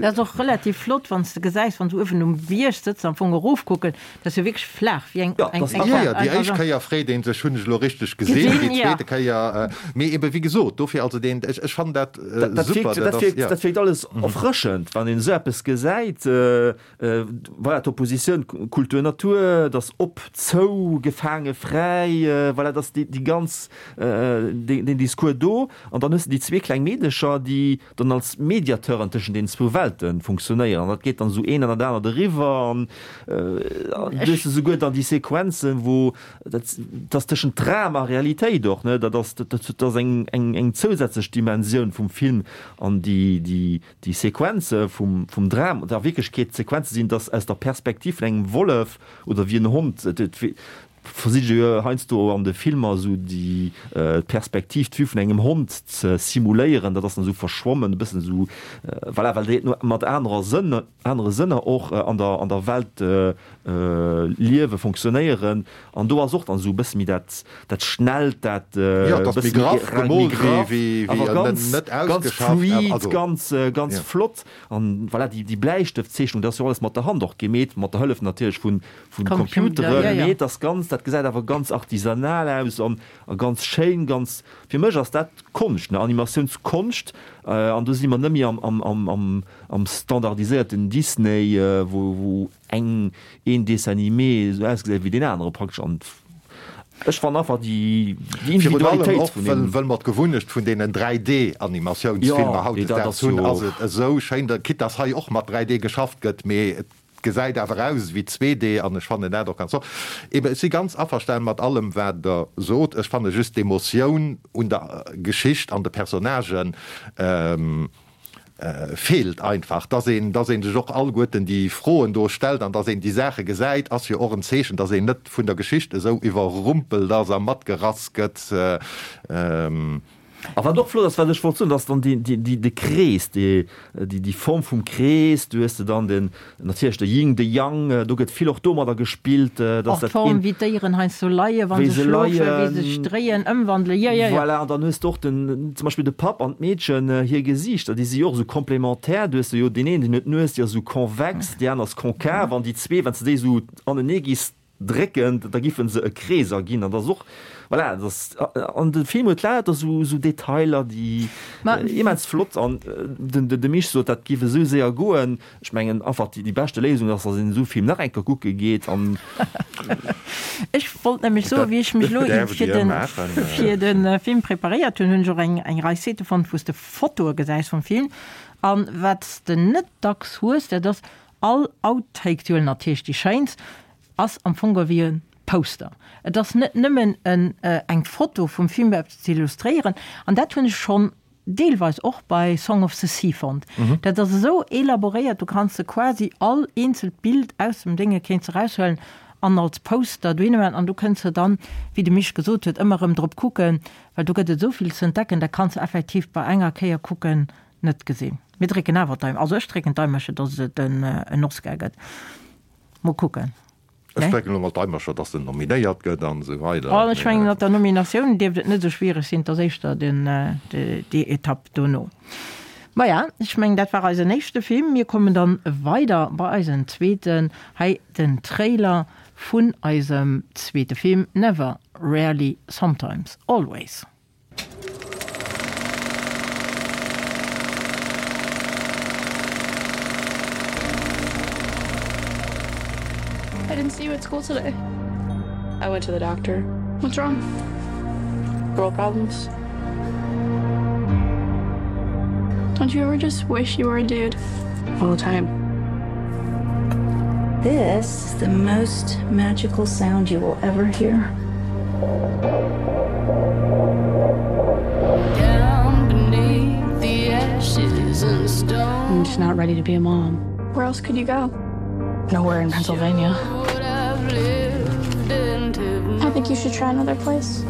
Dat ass och relativ flott, wann s de gesäis, wann s du uewen um Bierg sëtz, am Fong erofkucken, dat ass jo wierklech flaach, wéi eng, eng, eng, Jo, jo, déi éischt Kéier freet ee sech, hunn ech elo richteg gesinn, déi zweete Kéier, mee ebe wéi gesot, dofir also deen, ech, ech fannen dat super, dat ass, jo. Dat wierkt alles erfrëschend, wann een esou eppes gesäit. Voilà, d'Oppositioun Kultur-Natur, et ass op, zou, gefaange, fräi, voilà, et ass déi ganz, deen Discours do. An dann hues de déi zwee kleng Meedecher, déi dann als Mediateuren tëschent deenen zwou Welte funktionéieren. An dat geet dann esou een an dat anert eriwwer. An du hues esouguer dann déi Sequenzen, wou dat, dat ass tëschent Dram a Realitéit och, ne, dat ass, dat ass eng, eng zousätzlech Dimensioun vum Film an déi, déi, Déi Sequenze vum vum Dram, oder a Wierklechkeet d'Sequenze sinn, dass aus der Perspektiv vun engem Wollef oder wéi en Hond, et versicht ee jo heiansdo an de Filmer esou déi d'Perspektiv, d'Vue vun engem Hond ze simuléieren, dat ass dann esou verschwommen, e bëssen esou, voilà, well déi mat anerer Sënn, anere Sënner och an der an der Welt liewe, fonctionnéieren. An do ass och dann esou e bësse méi dat dat Schnellt, dat e bësse méi méi graff, awer ganz ganz fluid, ganz ganz flott. An voilà, déi déi Bläistëftzeechnung, dat ass jo alles mat der Hand och gemeet, mat der Hëllef natierlech vun vun Computeren, mee et ass ganz, dat gesäit awer ganz artisanal aus an a ganz schéin, ganz, fir mech ass dat Konscht, ne, Animatiounskonscht. An do si mer net méi am am am am am standardiséierten Disney, wou wou eng een Dessin animé esou ausgesäit wéi deen anere praktesch an ech fannen einfach déi déi Virun allem Individualitéit och vun well deem. well mer d'Gewunnecht vun deenen 3D Animatiounsfilmer Jo, nee, dat hautdesdaags ass hunn, jo. ass et esou schéin, quitte dass hei och mat 3D geschafft gëtt, mee et gesäit awer aus ewéi 2D an ech fannen dat och ganz flott. Eben, ech si ganz averstanen mat allem wat der sot, ech fanne just d'Emotioun un der Geschicht an de Personnagen, feelt einfach. Dass een, dass ee sech och alleguerten déi Froen do stellt an dass een déi Saache gesäit, ass jo och en Zeechen, dass een net vun der Geschicht esou iwwerrumpelt ass a matgerass gëtt. A wat och flott ass, wat ech wollt soen, dass dann déi, déi, de Krees, déi, déi Form vum Krees, du hues de dann den, Natierlech de Ying, de Yang, do gëtt vill och domadder gespillt, dass Och dat d'Form, wéi d'Déieren heiansdo leien, wa se schlofen, wéi se sech dréien, ëmwandelen, jo, jo, jo. Voilà, an dann hues de och den, zum Beispill de Papp an d'Meedchen, hir Gesiichter, déi si jo och esou komplementär. Du hues jo deen een, deen huet d'Nues, déi ass esou konvex, déi aner ass konkav, an déi zwee, wann s de déi esou anenee giss drécken, da giffen se e Krees erginn an dat ass och, voilà, dat ass, an de Film huet lauter esou esou Detailer, déi immens flott an den de Misch sot, dat giff esou séier goen. Ech mengen einfach déi déi beschte Léisung ass, datt een esou Film nach eng Kéier kucke geet an. Ech wollt nämlech soen, wéi ech mech elo fir de fir de Film preparéiert hunn, hunn ech och eng eng Rei Site fonnt, wou s de Fotoe gesäis vum Film an wat s de net dacks hues, dat ass all Outtake, déi huelen natierlech déi schéinst, ass am Fong ewéi e Poster. Et ass net nëmmen en eng Foto vum Film eppes ze illustréieren. An dat hunn ech schonn deelweis och bei Song of the Sea fonnt. Dat ass esou elaboréiert, du kanns de quasi all eenzelt Bild aus dem Dénge kéints eraushuelen an als Poster dohinner maachen an du kënns se dann, wéi de Misch gesot huet, ëmmer erëm drop kucken, well do gëtt et esou vill ze entdecken, dat kanns de effektiv bei enger Kéier kucken net gesinn. Mir drécken awer d'Daim, also ech drécken d'Daimercher, dass et en Oscar gëtt. Mol kucken. Ech drécken elo mol d'Daimercher, dass en nominéiert gëtt an esou weider. Oh, ech mengen, mat der Nominatioun dierft et net esou schwiereg sinn, et ass éischter den, déi Etapp dono. Maja, ech mengen, dat war eisen éischte Film. Mir kommen dann weider bei eisen zweeten. Hei den Trailer vun eisem zweete Film Never, Rarely, Sometimes, Always. I didn't see you at school today. I went to the doctor. What's wrong? Girl problems. Don't you ever just wish you were a dude? All the time. This is the most magical sound you will ever hear. Down beneath the ashes and stone. I'm just not ready to be a mom. Where else could you go? Nowhere in Pennsylvania. I think you should try another place.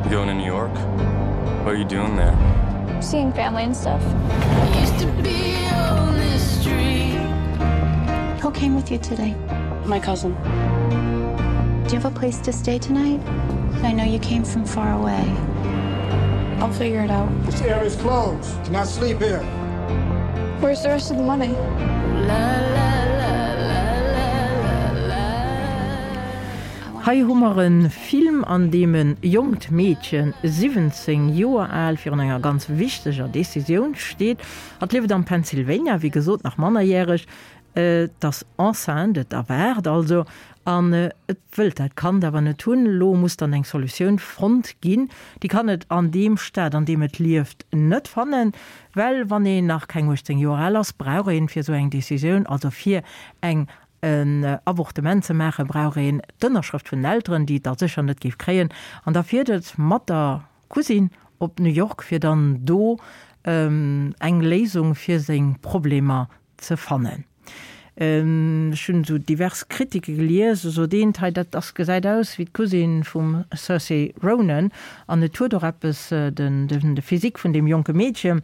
You going to New York? What are you doing there? Seeing family and stuff. Used to be on this. came with you today? My cousin. Do you have a place to stay tonight? I know you came from far away. I'll figure it out. This area is closed. Do not sleep here. Where's the rest of the money? La, la, la, la, la, la. Hei hu mer e Film, an deem e jonkt Meedchen, 17 Joer al, virun enger ganz wichteger Decisioun steet. Hatt lieft am Pennsylvania, wéi gesot nach mannerjäreg. Et ass enceinte, et erwaart also, an et wëllt dat Kand awer net hunn. Elo muss dann eng Solutioun fonnt ginn. Déi kann et an deem Staat, an deem et lieft, net fannen, well wann een nach keng 18 Joer al ass, brauch een fir esou eng Decisioun, also fir eng en Avortement ze maachen, brauch een d'Ënnerschrëft vun den Elteren, déi et da sécher net géif kréien. An da fiert et mat der Cousine op New York, fir dann do eng Léisung fir seng Problemer ze fannen. Ech hunn esou divers Kritike gelies, esou sot eent, hei dat ass, gesäit aus wéi d'Cousine vum Saoirse Ronan an et huet och eppes, den, de Physique vun deem jonke Meedchen.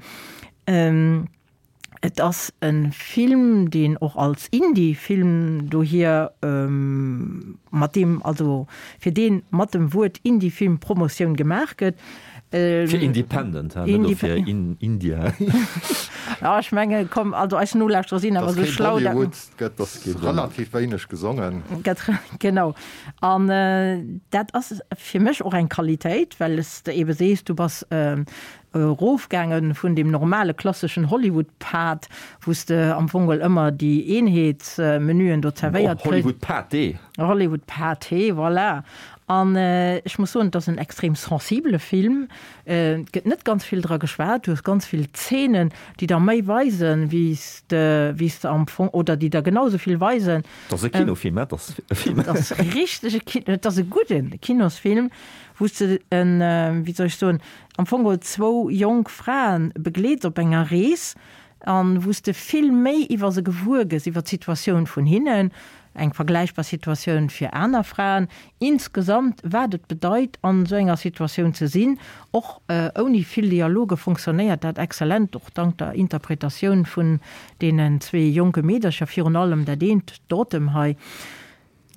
Et ass e Film, deen och als Indie-Film dohier, mat deem, also fir dee mat dem Wuert Indie-Film Promotioun gemaach gëtt. Fir Independent, he, net fir India. Jo, ech menge komm, also eis Nolauschterer sinn awer esou schlau, dat. Ass kee Bollywood, gëtt ass relativ wéineg gesongen. Gëtt, genau. An dat ass fir mech och eng Qualitéit, well s de eebe sees, du bass Erofgaange vun deem normale klasseschen Hollywood-Pad, wou s de am Fong geholl ëmmer déi Eenheetsmenüen do zerwéiert kriss. Hollywood-Pâté. Hollywood-Pâté, voilà. An ech muss soen, et ass en extrem sensibele Film. Et gëtt net ganz vill dra geschwat. Du hues ganz vill Zeenen, déi der méi weisen, wéi s de, wéi s de am Fong, oder déi der genau esou vill weisen. Et ass e Kinofilm, et ass e Film. Et ass e richtege Kino, et ass e gudde Kinosfilm, wou s de en, wéi soll ech soen, am Fong geholl zwou jonk Fraen begleets op enger Rees an wou s de vill méi iwwer se gewuer gëss, iwwer d'Situatioun vun hinnen, eng vergläichbar Situatioun fir aner Fraen, insgesamt wat et bedeit an esou enger Situatioun ze sinn. Och ouni vill Dialoge fonctionnéiert dat exzellent, och dank der Interpretatioun vun deenen zwee jonke Meedercher, virun allem dat eent, d'Autumn hei.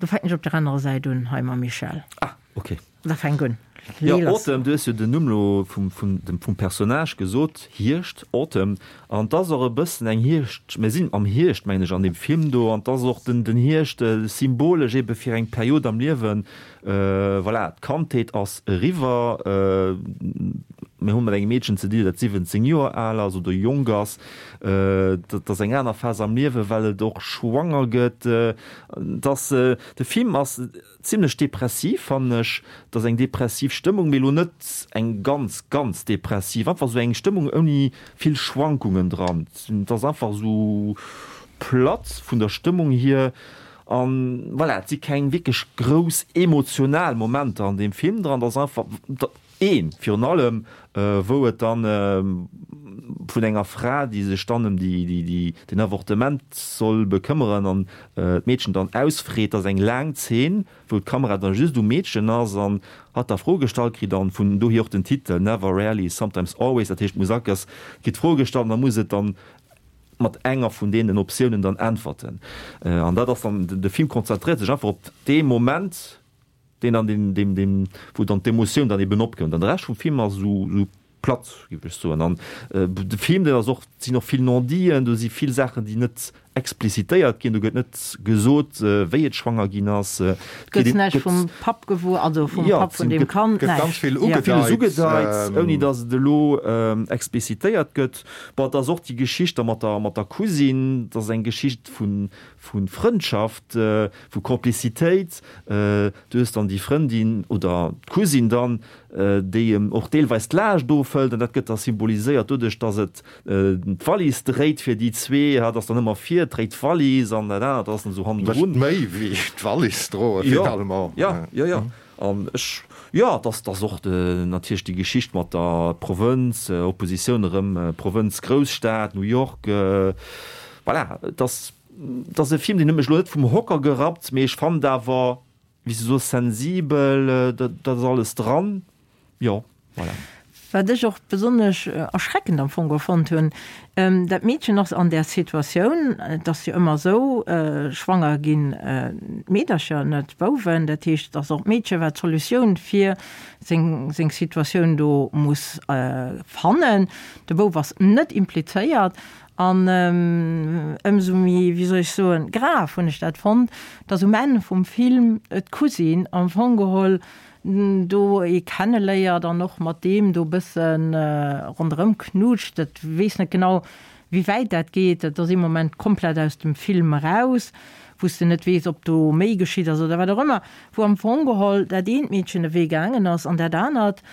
Do fänken ech op der anerer Säit un hei mam Michel. Ah, okay. Da fänk un. Jo, Autumn, du hues jo den Numm lo vum, vum, dem, vum Personnage gesot, Hierscht, Autumn. An 't ass och e bëssen eng Hierscht, mir sinn am Hierscht, mengen ech, an deem Film do, an 't ass och den, den Hierscht symbolesch ebe fir eng Period am Liewen, voilà, d'Kandheet ass eriwwer, mir hu mat engem Meedchen ze dinn, dat 17 Joer al ass oder jonk ass, dat ass eng aner Phas am Liewen, well et och schwanger gëtt, 't ass, de Film ass Zimlech depressiv fannen ech. Et ass eng depressiv Stëmmung, mee elo net eng ganz, ganz depressiv. Einfach esou eng Stëmmung ouni vill Schwankungen dran. Et ass einfach esou platt vun der Stëmmung hier an voilà, et si keng wierklech grouss emotional Momenter an deem Film dran. Et ass einfach. Een virun allem, wou et dann vun enger Fra, déi sech dann ëm den Avortement soll bekëmmeren an d'Meedchen dann ausfreet. Dat ass eng laang Zeen, wou d'Kamera dann just um Meedchen ass an hatt da Froe gestallt kritt an vun dohier och den Titel Never, Rarely, Sometimes, Always. Dat heescht, d'Musak ass, kritt Froe gestallt an da muss et dann mat enger vun deenen Optiounen dann äntwerten. An dat ass dann, de Film konzentréiert sech einfach op dee Moment, Deen an deen, deen, deen, wou dann d'Emotioun dann eben opkënnt. An de Rescht vum Film ass esou, esou platt, géif ech soen. An de Film, deen ass och, et sinn och vill Non-diten, do si vill Saachen, déi net explicitéiert ginn. Do gëtt net gesot, wéi et schwanger ginn ass. Et gëtt näischt vum Papp gewuer, also vum Papp vun deem Kand, näischt. Gëtt ganz vill ugedeit. Villes ugedeit, ouni datt et elo explicitéiert gëtt. Bon, et ass och déi Geschicht da mat der, mat der Cousine, dat ass eng Geschicht vu, vu Frëndschaft, vu Complicitéit. Du hues dann déi Frëndin oder d'Cousine dann, déi em och deelweis d'Laascht ofhëlt an dat gëtt da symboliséiert doduerch, datt et d'Wallis dréit fir déi zwee. Hatt ass dann ëmmer vir, dréit d'Wallis an dat anert ass dann esou hannendrun. Mécht méi wéi d'Wallis droe finalement. Jo, jo, jo. An ech, jo, et ass, et ass och natierlech déi Geschicht mat der Provënz, Oppositioun erëm Provënz-Grousstad, New York, voilà, et ass, et ass e Film, deen huet mech elo net vum Hocker gerappt, mee ech fannen et awer, wéi s de soos, sensibel, dat ass alles dran, jo, voilà. Wat ech och besonnesch erschreckend am Fong geholl fonnt hunn, dat Meedchen ass an där Situatioun, et ass jo ëmmer esou, schwanger ginn d'Meedercher, net d'Bouwen, dat heescht, et ass och d'Meedche wat d'Solutioun fir seng seng Situatioun do muss fannen. De Bouf ass net implizéiert an ëmsou méi, wéi soll ech soen, grav hunn ech dat fonnt, datt um Enn vum Film d'Cousine am Fong geholl do ee kenneléiert an och mat deem do bësse ronderëm knutscht. Et weess net genau, wéi wäit dat geet. Dat ass ee Moment komplett aus dem Film eraus, wou s de net weess, ob do méi geschitt ass oder wat och ëmmer. Wou am Fong geholl dat eent Meedchen de Wee gaangen ass an dat anert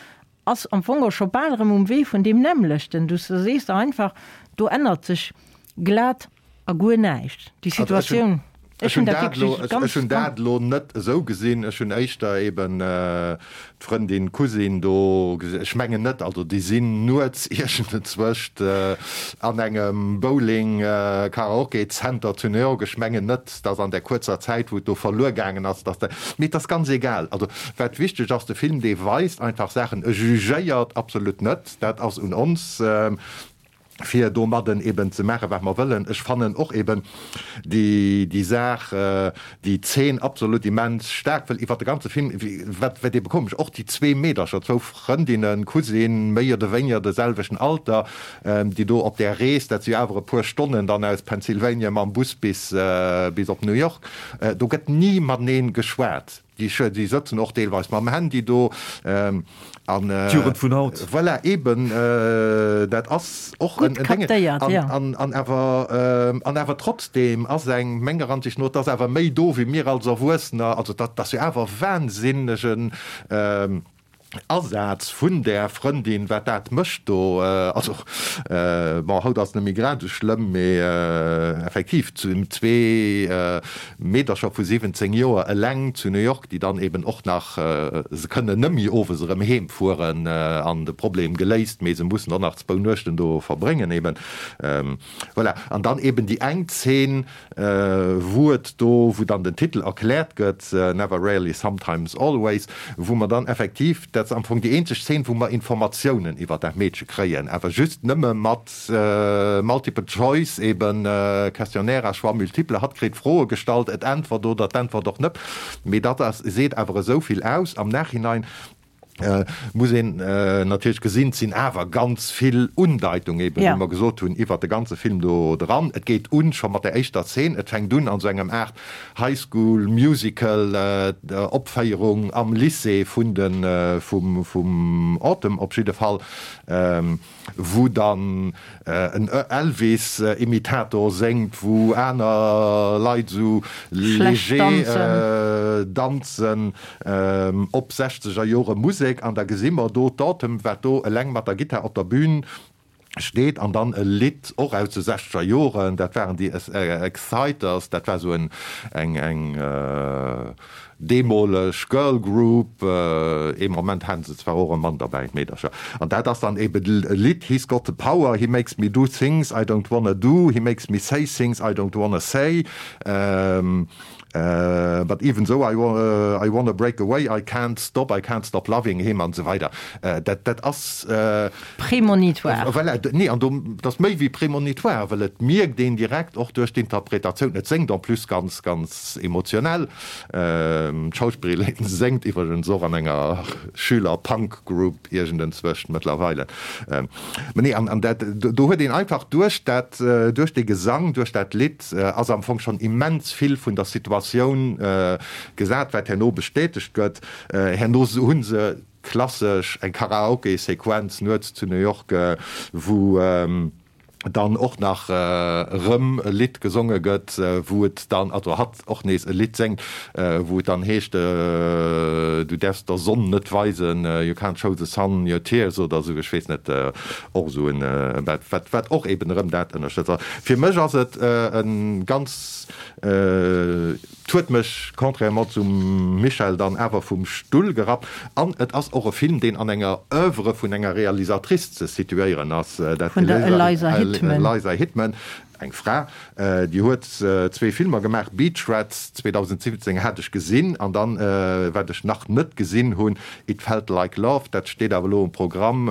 ass am Fong och scho bal erëm um Wee vun deem nämmlechten. Du sees der einfach, do ännert sech glat a guer näischt. Déi Situatioun, ech hunn dat wierklech ganz. Ech hunn dat elo net esou gesinn. Ech hunn éischter eben d'Frëndin, d'Cousine do gesinn. Ech mengen net, also déi sinn nuets iergendenzwëscht an engem Bowling Karaoke Center zu New York. Ech mengen net, dass an där kuerzer Zäit, wou et do verluer gaangen ass, dass dat, mee et ass ganz egal. Also wat wichteg ass, de Film, dee weist einfach Saachen, e jugéiert absolut net, dat ass un ons, fir domadden eben ze maachen, wat mer wëllen. Ech fannen och eben déi, déi Saach, déi Zeen absolut immens staark, well iwwert de ganze Film, wat, wat ebe komesch, och déi zwee Meedercher, zwou Frëndinnen, Cousine, méi oder wéiniger de selwechten Alter, déi do op där Rees, dat si jo awer e puer Stonnen dann aus Pennsylvania mam Bus bis, bis op New York, do gëtt ni matenee geschwat. Déi sëtzen och deelweis mam Handy do. An D'Jugend vun haut. Voilà, eben, dat ass och en Gutt captéiert, jo. An awer, an awer trotzdem ass eng, menger Ansicht no, et ass awer méi do wéi mir als Erwuessener. Also dat ass jo awer wahnsinnegen Asaz vun där Frëndin, wat dat mécht do. Also, bon, haut ass et net méi grad esou schlëmm, mee effektiv, zwee Meedercher vu 17 Joer eleng zu New York, déi dann eben och nach, se kënnen net méi owes erëm heem fueren an de Problem geléist, mee se mussen och nach zwou Nuechten do verbréngen eben. Voilà. An dann eben déi eng Zeen, wou et do, wou dann den Titel erkläert gëtt, Never, Rarely, Sometimes, Always, wou mer dann effektiv, dat ass am Fong déi eenzeg Zeen, wou mer Informatiounen iwwer dat Meedche kréien, awer just nëmme mat Multiple Choice, eben Questionnaire à choix multiple, hatt kritt Froe gestallt, et äntwert oder et äntwert och net, mee dat ass, seet awer esou vill aus am Nachhinein, Muss een natierlech gesinn, et sinn awer ganz vill Undeitung eben, wéi mer gesot hunn, iwwert de ganze Film do dran. Et geet un scho mat der éischter Zeen, et fänkt un an esou engem Aart High School Musical Opféierung am Lycée vun de vum vum Autumn op jidde Fall. Wou dann en Elvis-Imitator séngt, wou aner Leit esou léger danzen op sechzeger Jore Musek. An da gesi mer do d'Autumn, wat do eleng mat der Gittar op der Bühn steet an dann e Lidd och aus de sechzeger Joren, dat waren déi Exciters, dat war esou eng eng Deemoleg Girl Group, ee Moment haten se zwar och e Mann derbäi, d'Meedercher, an dat ass dann eben e Lidd, He's got the power, he makes me do things I don't wanna do, he makes me say things I don't wanna say, but even though I wanna break away, I can't stop, I can't stop loving him an esou weider. Dat, dat ass. Prémonitoire. Voilà, nee, an do, dat ass méi wéi prémonitoire, well et mierkt een direkt och duerch d'Interpretatioun, et séngt en plus ganz, ganz emotionell. D'Schauspillerin séngt iwwregens och an enger Schüler-Punk-Group iergendenzwëscht mëttlerweile. Mä nee, an dat, do huet een einfach duerch dat, duerch dee Gesang, duerch dat Lidd ass am Fong schonn immens vill vun der Situatioun gesat, wat herno bestätegt gëtt. Herno hu se klassesch eng Karaoke-Sequenz nuets zu New York, wou dann och nach erëm e Lidd gesonge gëtt, wou et dann, also hatt och nees e Lidd séngt, wou et dann heescht, du däerfs der Sonn net weisen, you can't show the sun your tears oder esou, ech weess net, och esou en, wat, wat och eben erëm dat ënnerstëtzt. Fir mech ass et e ganz. 't huet mech, contrairement zum Michel, dann awer vum Stull gerappt. An et ass och e Film, deen an enger Oeuvre vun enger Realisatrice ze situéieren ass, dat Vun der Eliza Hittman. Eliza Hittman. Eng Fra, déi huet zwee Filmer gemaach, Beach Rats, 2017 hat ech gesinn, an dann, wat ech nach net gesinn hunn, It Felt Like Love, dat steet awer elo um Programm,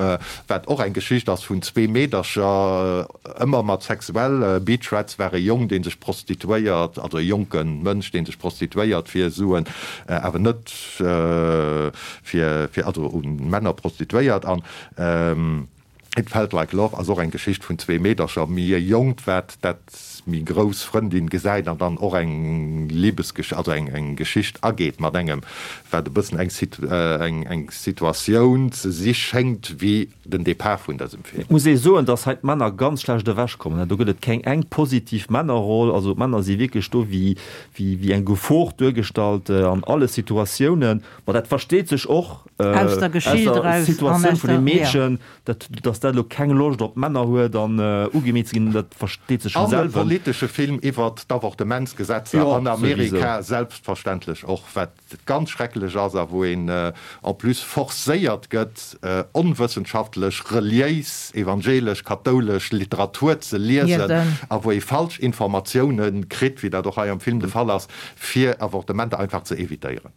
wat och eng Geschicht ass vun zwee Meedercher, ëmmer mat sexuell. Beach Rats war e Jong, dee sech prostituéiert, also e jonke Mënsch, dee sech prostituéiert fir Suen, awer net fir, fir, also u Männer prostituéiert an. It Felt Like Love ass och eng Geschicht vun zwee Meedercher, méi e jonkt, wat dat méi grouss Frëndin gesäit an dann och eng Libesgesch-, also eng eng Geschicht ageet mat engem, wat e bëssen eng eng eng Situatioun ze si schéngt wéi den Depart vun dësem Film. Et muss ee soen, dass hei d'Männer ganz schlecht ewechkommen. Do gëtt et keng eng positiv Männerroll. Also d'Männer si wierklech do wéi wéi eng Gefor duergestallt an alle Situatiounen. Ma dat versteet sech och aus der Geschicht eraus, Situatioun vun dem Meedchen, dat datt dat elo keng Loscht op Männer huet an ugemeet ze ginn, dat versteet sech vum An e selwen. politesche Film iwwert d'Avortementsgesetzer an Amerika selbstverständlech och, wat ganz schrecklech ass a wou een en plus forcéiert gëtt, onwëssenschaftlech reliéis, evangelesch, kathoulesch Literatur ze liesen a wou ee falsch Informatioune kritt, wéi dat och hei am Film de Fall ass, fir Avortementer einfach ze evitéieren.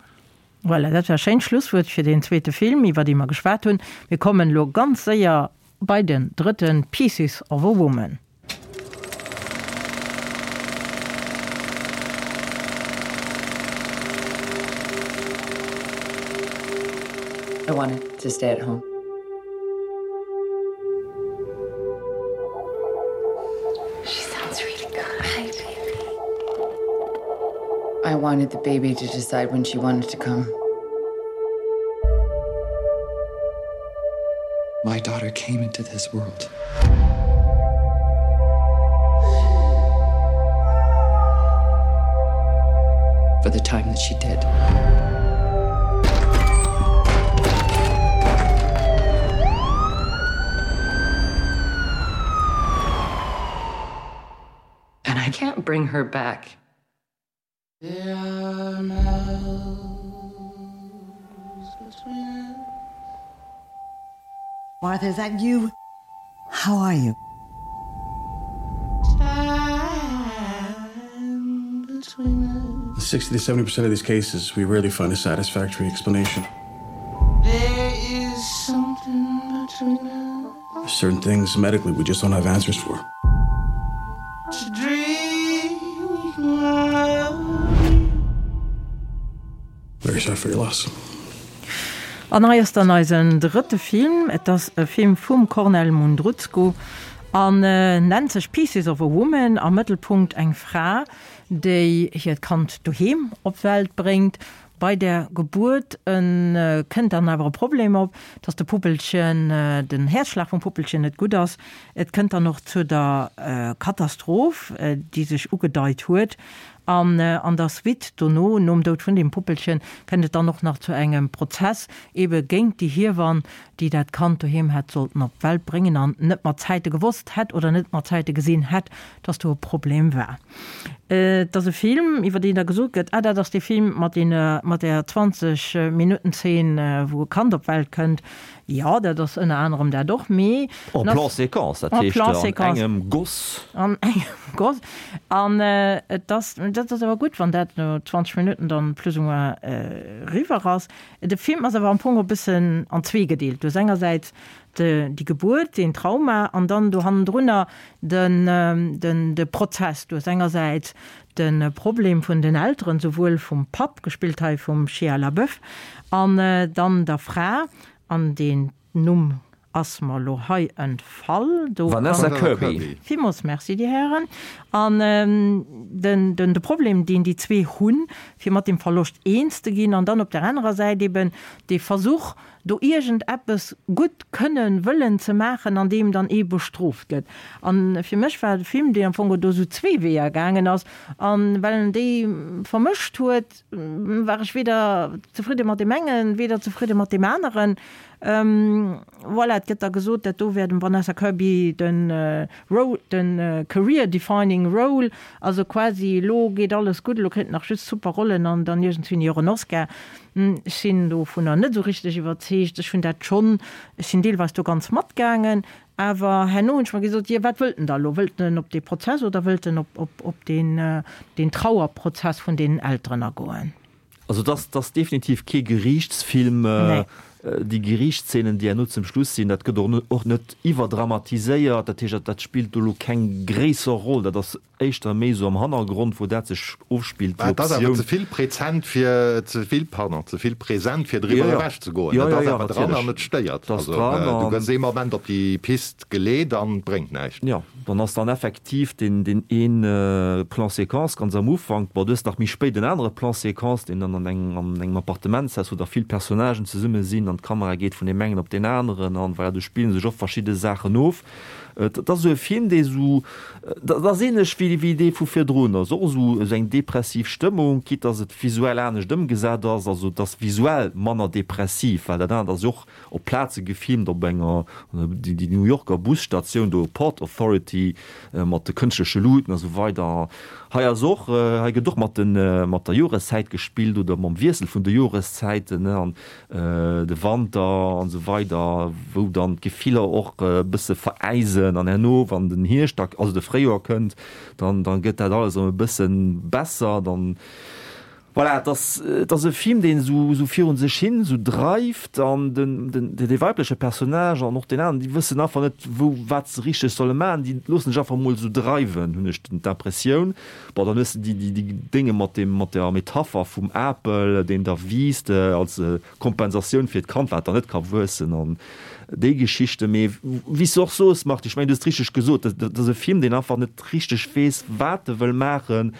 Voilà, dat war e schéint Schlusswuert fir deen zweete Film, iwwer dee mer geschwat hunn. Mir kommen elo ganz séier bei den drëtten, Pieces of a Woman. I wanted to stay at home. She sounds really good. Hi, baby. I wanted the baby to decide when she wanted to come. My daughter came into this world. For the time that she did. And I can't bring her back. Martha, is that you? How are you? 60 to 70% of these cases, we rarely find a satisfactory explanation. There is something between us. There's certain things medically we just don't have answers for. To dream Very sorry for your loss. An hei ass dann eisen drëtte Film. Et ass e Film vum Kornel Mundruczko an nennt sech Pieces of a Woman. Am Mëttelpunkt eng Fra, déi hiert Kand doheem op d'Welt bréngt. Bei der Gebuert kënnt dann awer e Problem op, dass de Puppelchen, den Häerzschlag vum Puppelchen net gutt ass. Et kënnt dann och zu der Katastroph, déi sech ugedeit huet. An an der Suite dono, nom Doud vun deem Puppelchen, kënnt et dann och nach zu engem Prozess ebe géint déi Hiewann, déi dat Kand doheem hätt sollten op d'Welt bréngen an net mat Zäite gewosst hätt oder net mat Zäite gesinn hätt, dass do e Problem war. Et ass e Film, iwwer deen da gesot gëtt, ah dat ass dee Film mat deene, mat där 20 Minutten Zeen, wou e Kand op d'Welt kënnt. Jo, dat ass ënner anerem dat och, mee En plan séquence, dat heescht an engem Goss. An engem Goss. An et ass, dat ass awer gutt, wann dat no 20 Minutten dann plus ou moins eriwwer ass. De Film ass awer am Fong e bëssen an zwee gedeelt. Du hues engersäits déi Gebuert, deen Trauma, an dann do hannendrunner den, de Prozess. Du hues engersäits de Problem vun den Elteren, souwuel vum Papp, gespillt hei vum Shia LaBeouf, an dann der Fra, an deen Numm ass mer elo hei entfall. Do Vanessa Kirby. Villmools Merci, Dir Hären. An den, den, de Problem, deen déi zwee hunn, fir mat deem Verloscht eens ze ginn, an dann op der anerer Säit eben dee Versuch, do iergend eppes gutt kënnen, wëllen ze maachen, an deem dann ee bestrooft gëtt. A fir mech war de Film, deen am Fong do esou zwee Weeër gaangen ass, a well en déi vermëscht huet, war ech weder zefridde mat deem engen, weder zefridde mat deem aneren. Voilà, et gëtt da gesot, dat do wär dem Vanessa Kirby de Role, de career defining role, also quasi elo geet alles gutt, elo kritt en nach just super Rollen an dann iergendswéini och en Oscar. Ech sinn dovunner net esou richteg iwwerzeegt. Ech hunn dat schonn, ech sinn deelweis do ganz matgaangen. Awer herno hunn ech mer gesot, jo, wat wëllt en da elo? Wëllt en op dee Prozess oder wëllt en op, op, op deen, deen Trauerprozess vun deenen Elteren agoen? Also et ass, et ass definitiv kee Geriichtsfilm. Nee. Déi Geriichtsszenen, déi herno zum Schluss sinn, dat gëtt och net, och net iwwerdramatiséiert. Dat heescht, dat, dat spillt do elo keng gréisser Roll. Dat ass éischter méi esou am Hannergrond, wou dat sech ofspillt, déi Mä et ass awer Optioun. ze vill prezent fir, ze vill, pardon, ze vill present fir Jo, driwwer jo. ewech ze goen. Jo, Et jo, ass jo, awer dran natierlech. an et stéiert. Et ass Also dran du an. gëss ee Moment op déi Pist geleet an et bréngt näischt. Jo, dann ass dann effektiv deen, deen een Plan séquence ganz am Ufank. Bon, du hues nach méi spéit en anere Plan séquence, deen dann an engem, an engem Appartementshaus, wou da vill Personnagen zesumme sinn an d'Kamera geet vun deem engen op deen aneren an voilà, do spille sech och verschidde Saachen of. Et ass esou e Film, dee esou, dat ass ähnlech wéi, wéi dee vu virdrun, ass och esou, esou eng depressiv Stëmmung, quitte dass et visuell anescht ëmgesat ass, also et ass visuell manner depressiv, well dat anert ass jo och op Plaze gefilmt, op enger, déi, déi New Yorker Busstatioun do, Port Authority, mat de kënschtleche Luuten a sou weider. Hei ass och, hei gëtt och mat den, mat der Joreszäit gespillt oder mam Wiessel vun de Joreszäiten, ne, an de Wanter an esou weider, wou dann d'Gefiller och e bësse veräisen an herno, wann den Hierscht da, also de Fréijoer kënnt, dann, dann gëtt dat alles erëm e bësse besser, dann, voilà, et ass, et ass e Film, deen esou, esou virun sech hin esou dreift an den, den, dee weibleche Personnage an och deen aneren, déi wëssen einfach net, wou, wat se richteg solle maachen, déi loossen sech einfach emol esou dreiwen, hunn ech d'Impressioun. Bon, dann hues de déi, déi, déi Dénge mat deem, mat der Metapher vum Apel, deen da wiisst als Kompensatioun fir d'Kand, wat dann net ka wuessen an déi Geschichten. Mee wéi s de och soos, Marthe, ech mengen, du hues et richteg gesot, dat, dat ass e Film, deen einfach net richteg weess, wat e wëll maachen.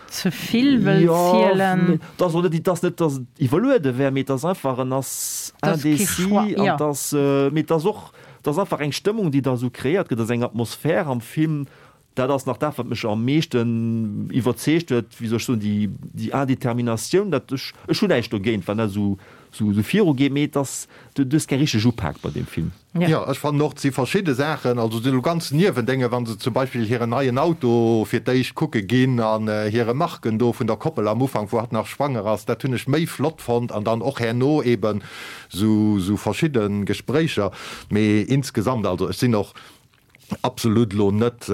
Ze vill wëll zielen. Jo, et ass och net, et ass net, datt et iwwerluede wär, mee et ass einfach, en ass indécis an et ass, mee et ass och, et ass einfach eng Stëmmung, déi da esou kreéiert gëtt, et ass eng Atmosphär am Film, Dat ass nach dat, wat mech am meeschten iwwerzeegt huet, wéi soll ech soen, déi, déi Indeterminatioun, dat ech, ech hunn näischt dogéint, wann dat esou, esou, esou virugeet, mee et ass, du, du hues keng richteg Upak bei deem Film. Jo, ech fannen och, et si verschidde Saachen, also esou ganz Niewendénge, wa se zum Beispill hiren neien Auto fir d'éischt kucke ginn an hir Remarken do vun der Koppel am Ufank, wou hatt nach schwanger ass, dat hunn ech méi flott fonnt an dann och herno eeben esou, esou verschidde Gespréicher. Mee insgesamt, also ech sinn och absolut elo net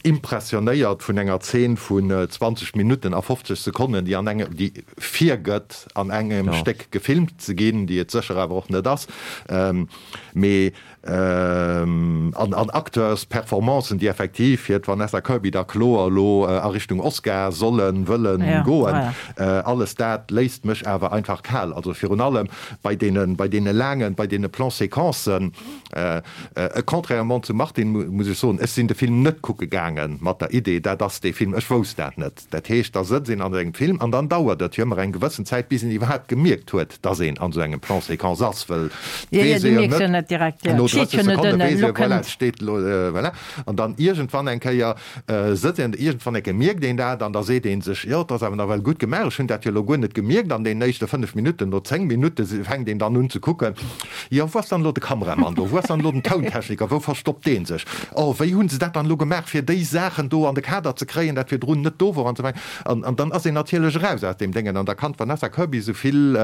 impressionéiert vun enger Zeen vun 20 Minutten a 50 Sekonnen, déi an engem, déi virgëtt an engem Stéck gefilmt ze ginn, déi et sécher awer och net ass, mee an an Acteursperformancen, déi effektiv fir d'Vanessa Kirby da kloer elo a Richtung Oscar sollen, wëllen goen. Alles dat léisst mech awer einfach kal, also virun allem bei deene, bei deene laangen, bei deene Plan-séquencen. Contrairement zum Martine muss ech soen, ech sinn de Film net kucke gaange mat der Idee, dat ass dee Film. Ech wousst dat net. Dat heescht, da sëtzt een an engem Film an dann dauert et jo ëmmer eng gewëssen Zäit, bis een iwwerhaapt gemierkt huet, dass een an esou engem Plan séquence ass, wëll Jo, jo, weess du ee jo mierks jo net, net direkt, jo, no et steet 30 jo net Sekonne ënnen, weess elo ee, voilà, kënnt. et steet elo, voilà. An dann iergendwann eng Kéier Sëtzt een, iergendwann eng Kéier mierkt een dat an da seet ee sech, jo, et ass awer nawell gutt gemaach, ech hunn dat jo elo guer net gemierkt an deenen éischte 5 Minutten. No 10 Minutte fänkt een dann un ze kucken, jo, wou ass dann elo de Kameramann do, wou ass dann elo den Tountechniker, wou verstoppt dee sech, oh, wéi hu se dat dann elo gemaach, fir déi Saachen do an de Kader ze kréien, dat virdrun net do wor an esou weider. An dann ass een natierlech eraus aus deem Déngen an da kann d'Vanessa Kirby esou vill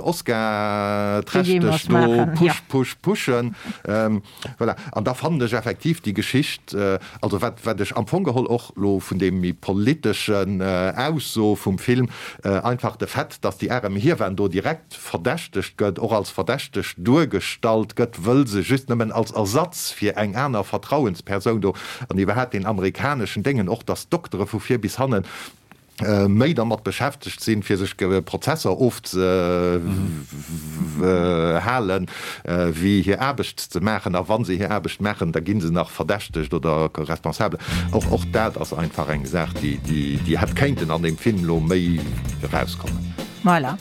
Oscar-trächteg do push, push, pushen. Voilà. An da fannen ech effektiv déi Geschicht, also wat, wat ech am Fong geholl och elo vun deem méi politeschen Ausso vum Film, einfach de Fait, dass déi arem Hiewan do direkt verdächtegt gëtt, och als verdächteg duergestallt gëtt, wëll se just nëmmen als Ersatz fir eng aner Vertrauenspersoun do, an iwwerhaapt deen amerikaneschen Déngen och, dass d'Doktere vu vir bis hannen méi dermat beschäftegt sinn, fir sech Prozesser ofzehalen, wéi hir Aarbecht ze maachen. A wa se hir Aarbecht maachen, da gi se nach verdächtegt oder responsabel. Och och dat ass einfach eng Saach, déi déi hätt kéinten an deem Film elo méi erauskommen. Voilà.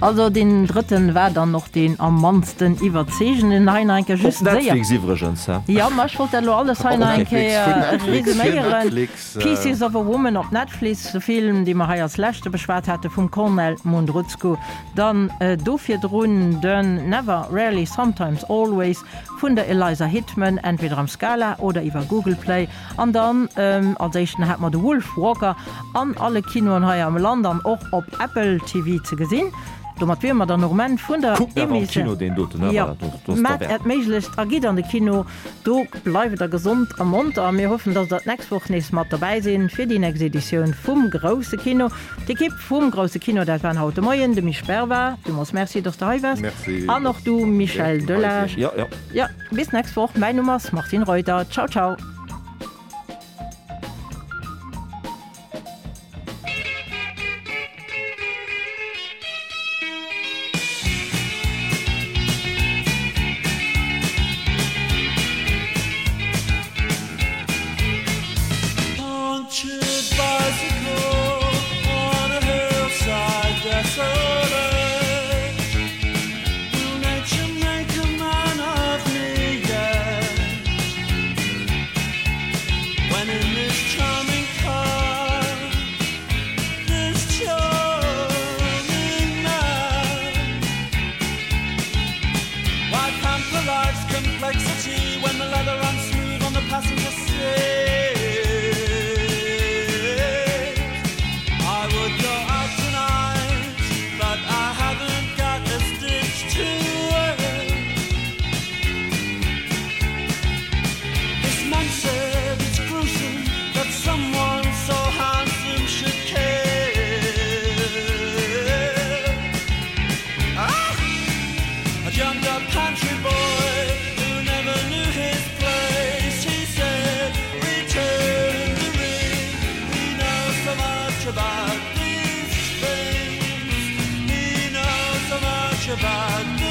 Also deen drëtten war dann och deen am mannsten iwwerzeegenden. Hei nach eng Kéier Op just séier. Netflix iwwregens, hä? Jo, ma ech wollt dat elo alles hei nach eng Kéier resuméieren. Netflix. Pieces of a Woman op Netflix, de Film, dee mer hei als leschte beschwat hate vum Kornel Mundruczko. Dann do virdrun den Never, Rarely, Sometimes, Always vun der Eliza Hittman, entweder am Scala oder iwwer Google Play. An dann als éischten hate mer de Wolfwalker an alle Kinoen hei am Land an och op Apple TV ze gesinn. Domat wiere mer dann och um Enn vun der Kuckt awer am Kino deen doten, ne? Jo, maacht Äert Méiglechst a gitt an de Kino. Do bleift der gesond a monter a mir hoffen, dass der d'nächst Woch nees mat dobäi sinn fir déi nächst Editioun vum Grousse Kino. D'Ekipp vum Grousse Kino, dat waren haut de Moien de Misch Berva, villmools Merci, dass de hei waars, an och du Michel Delage. Jo, jo. Jo, bis d'nächst Woch. Mäin Numm ass Martine Reuter. Ciao, ciao. About.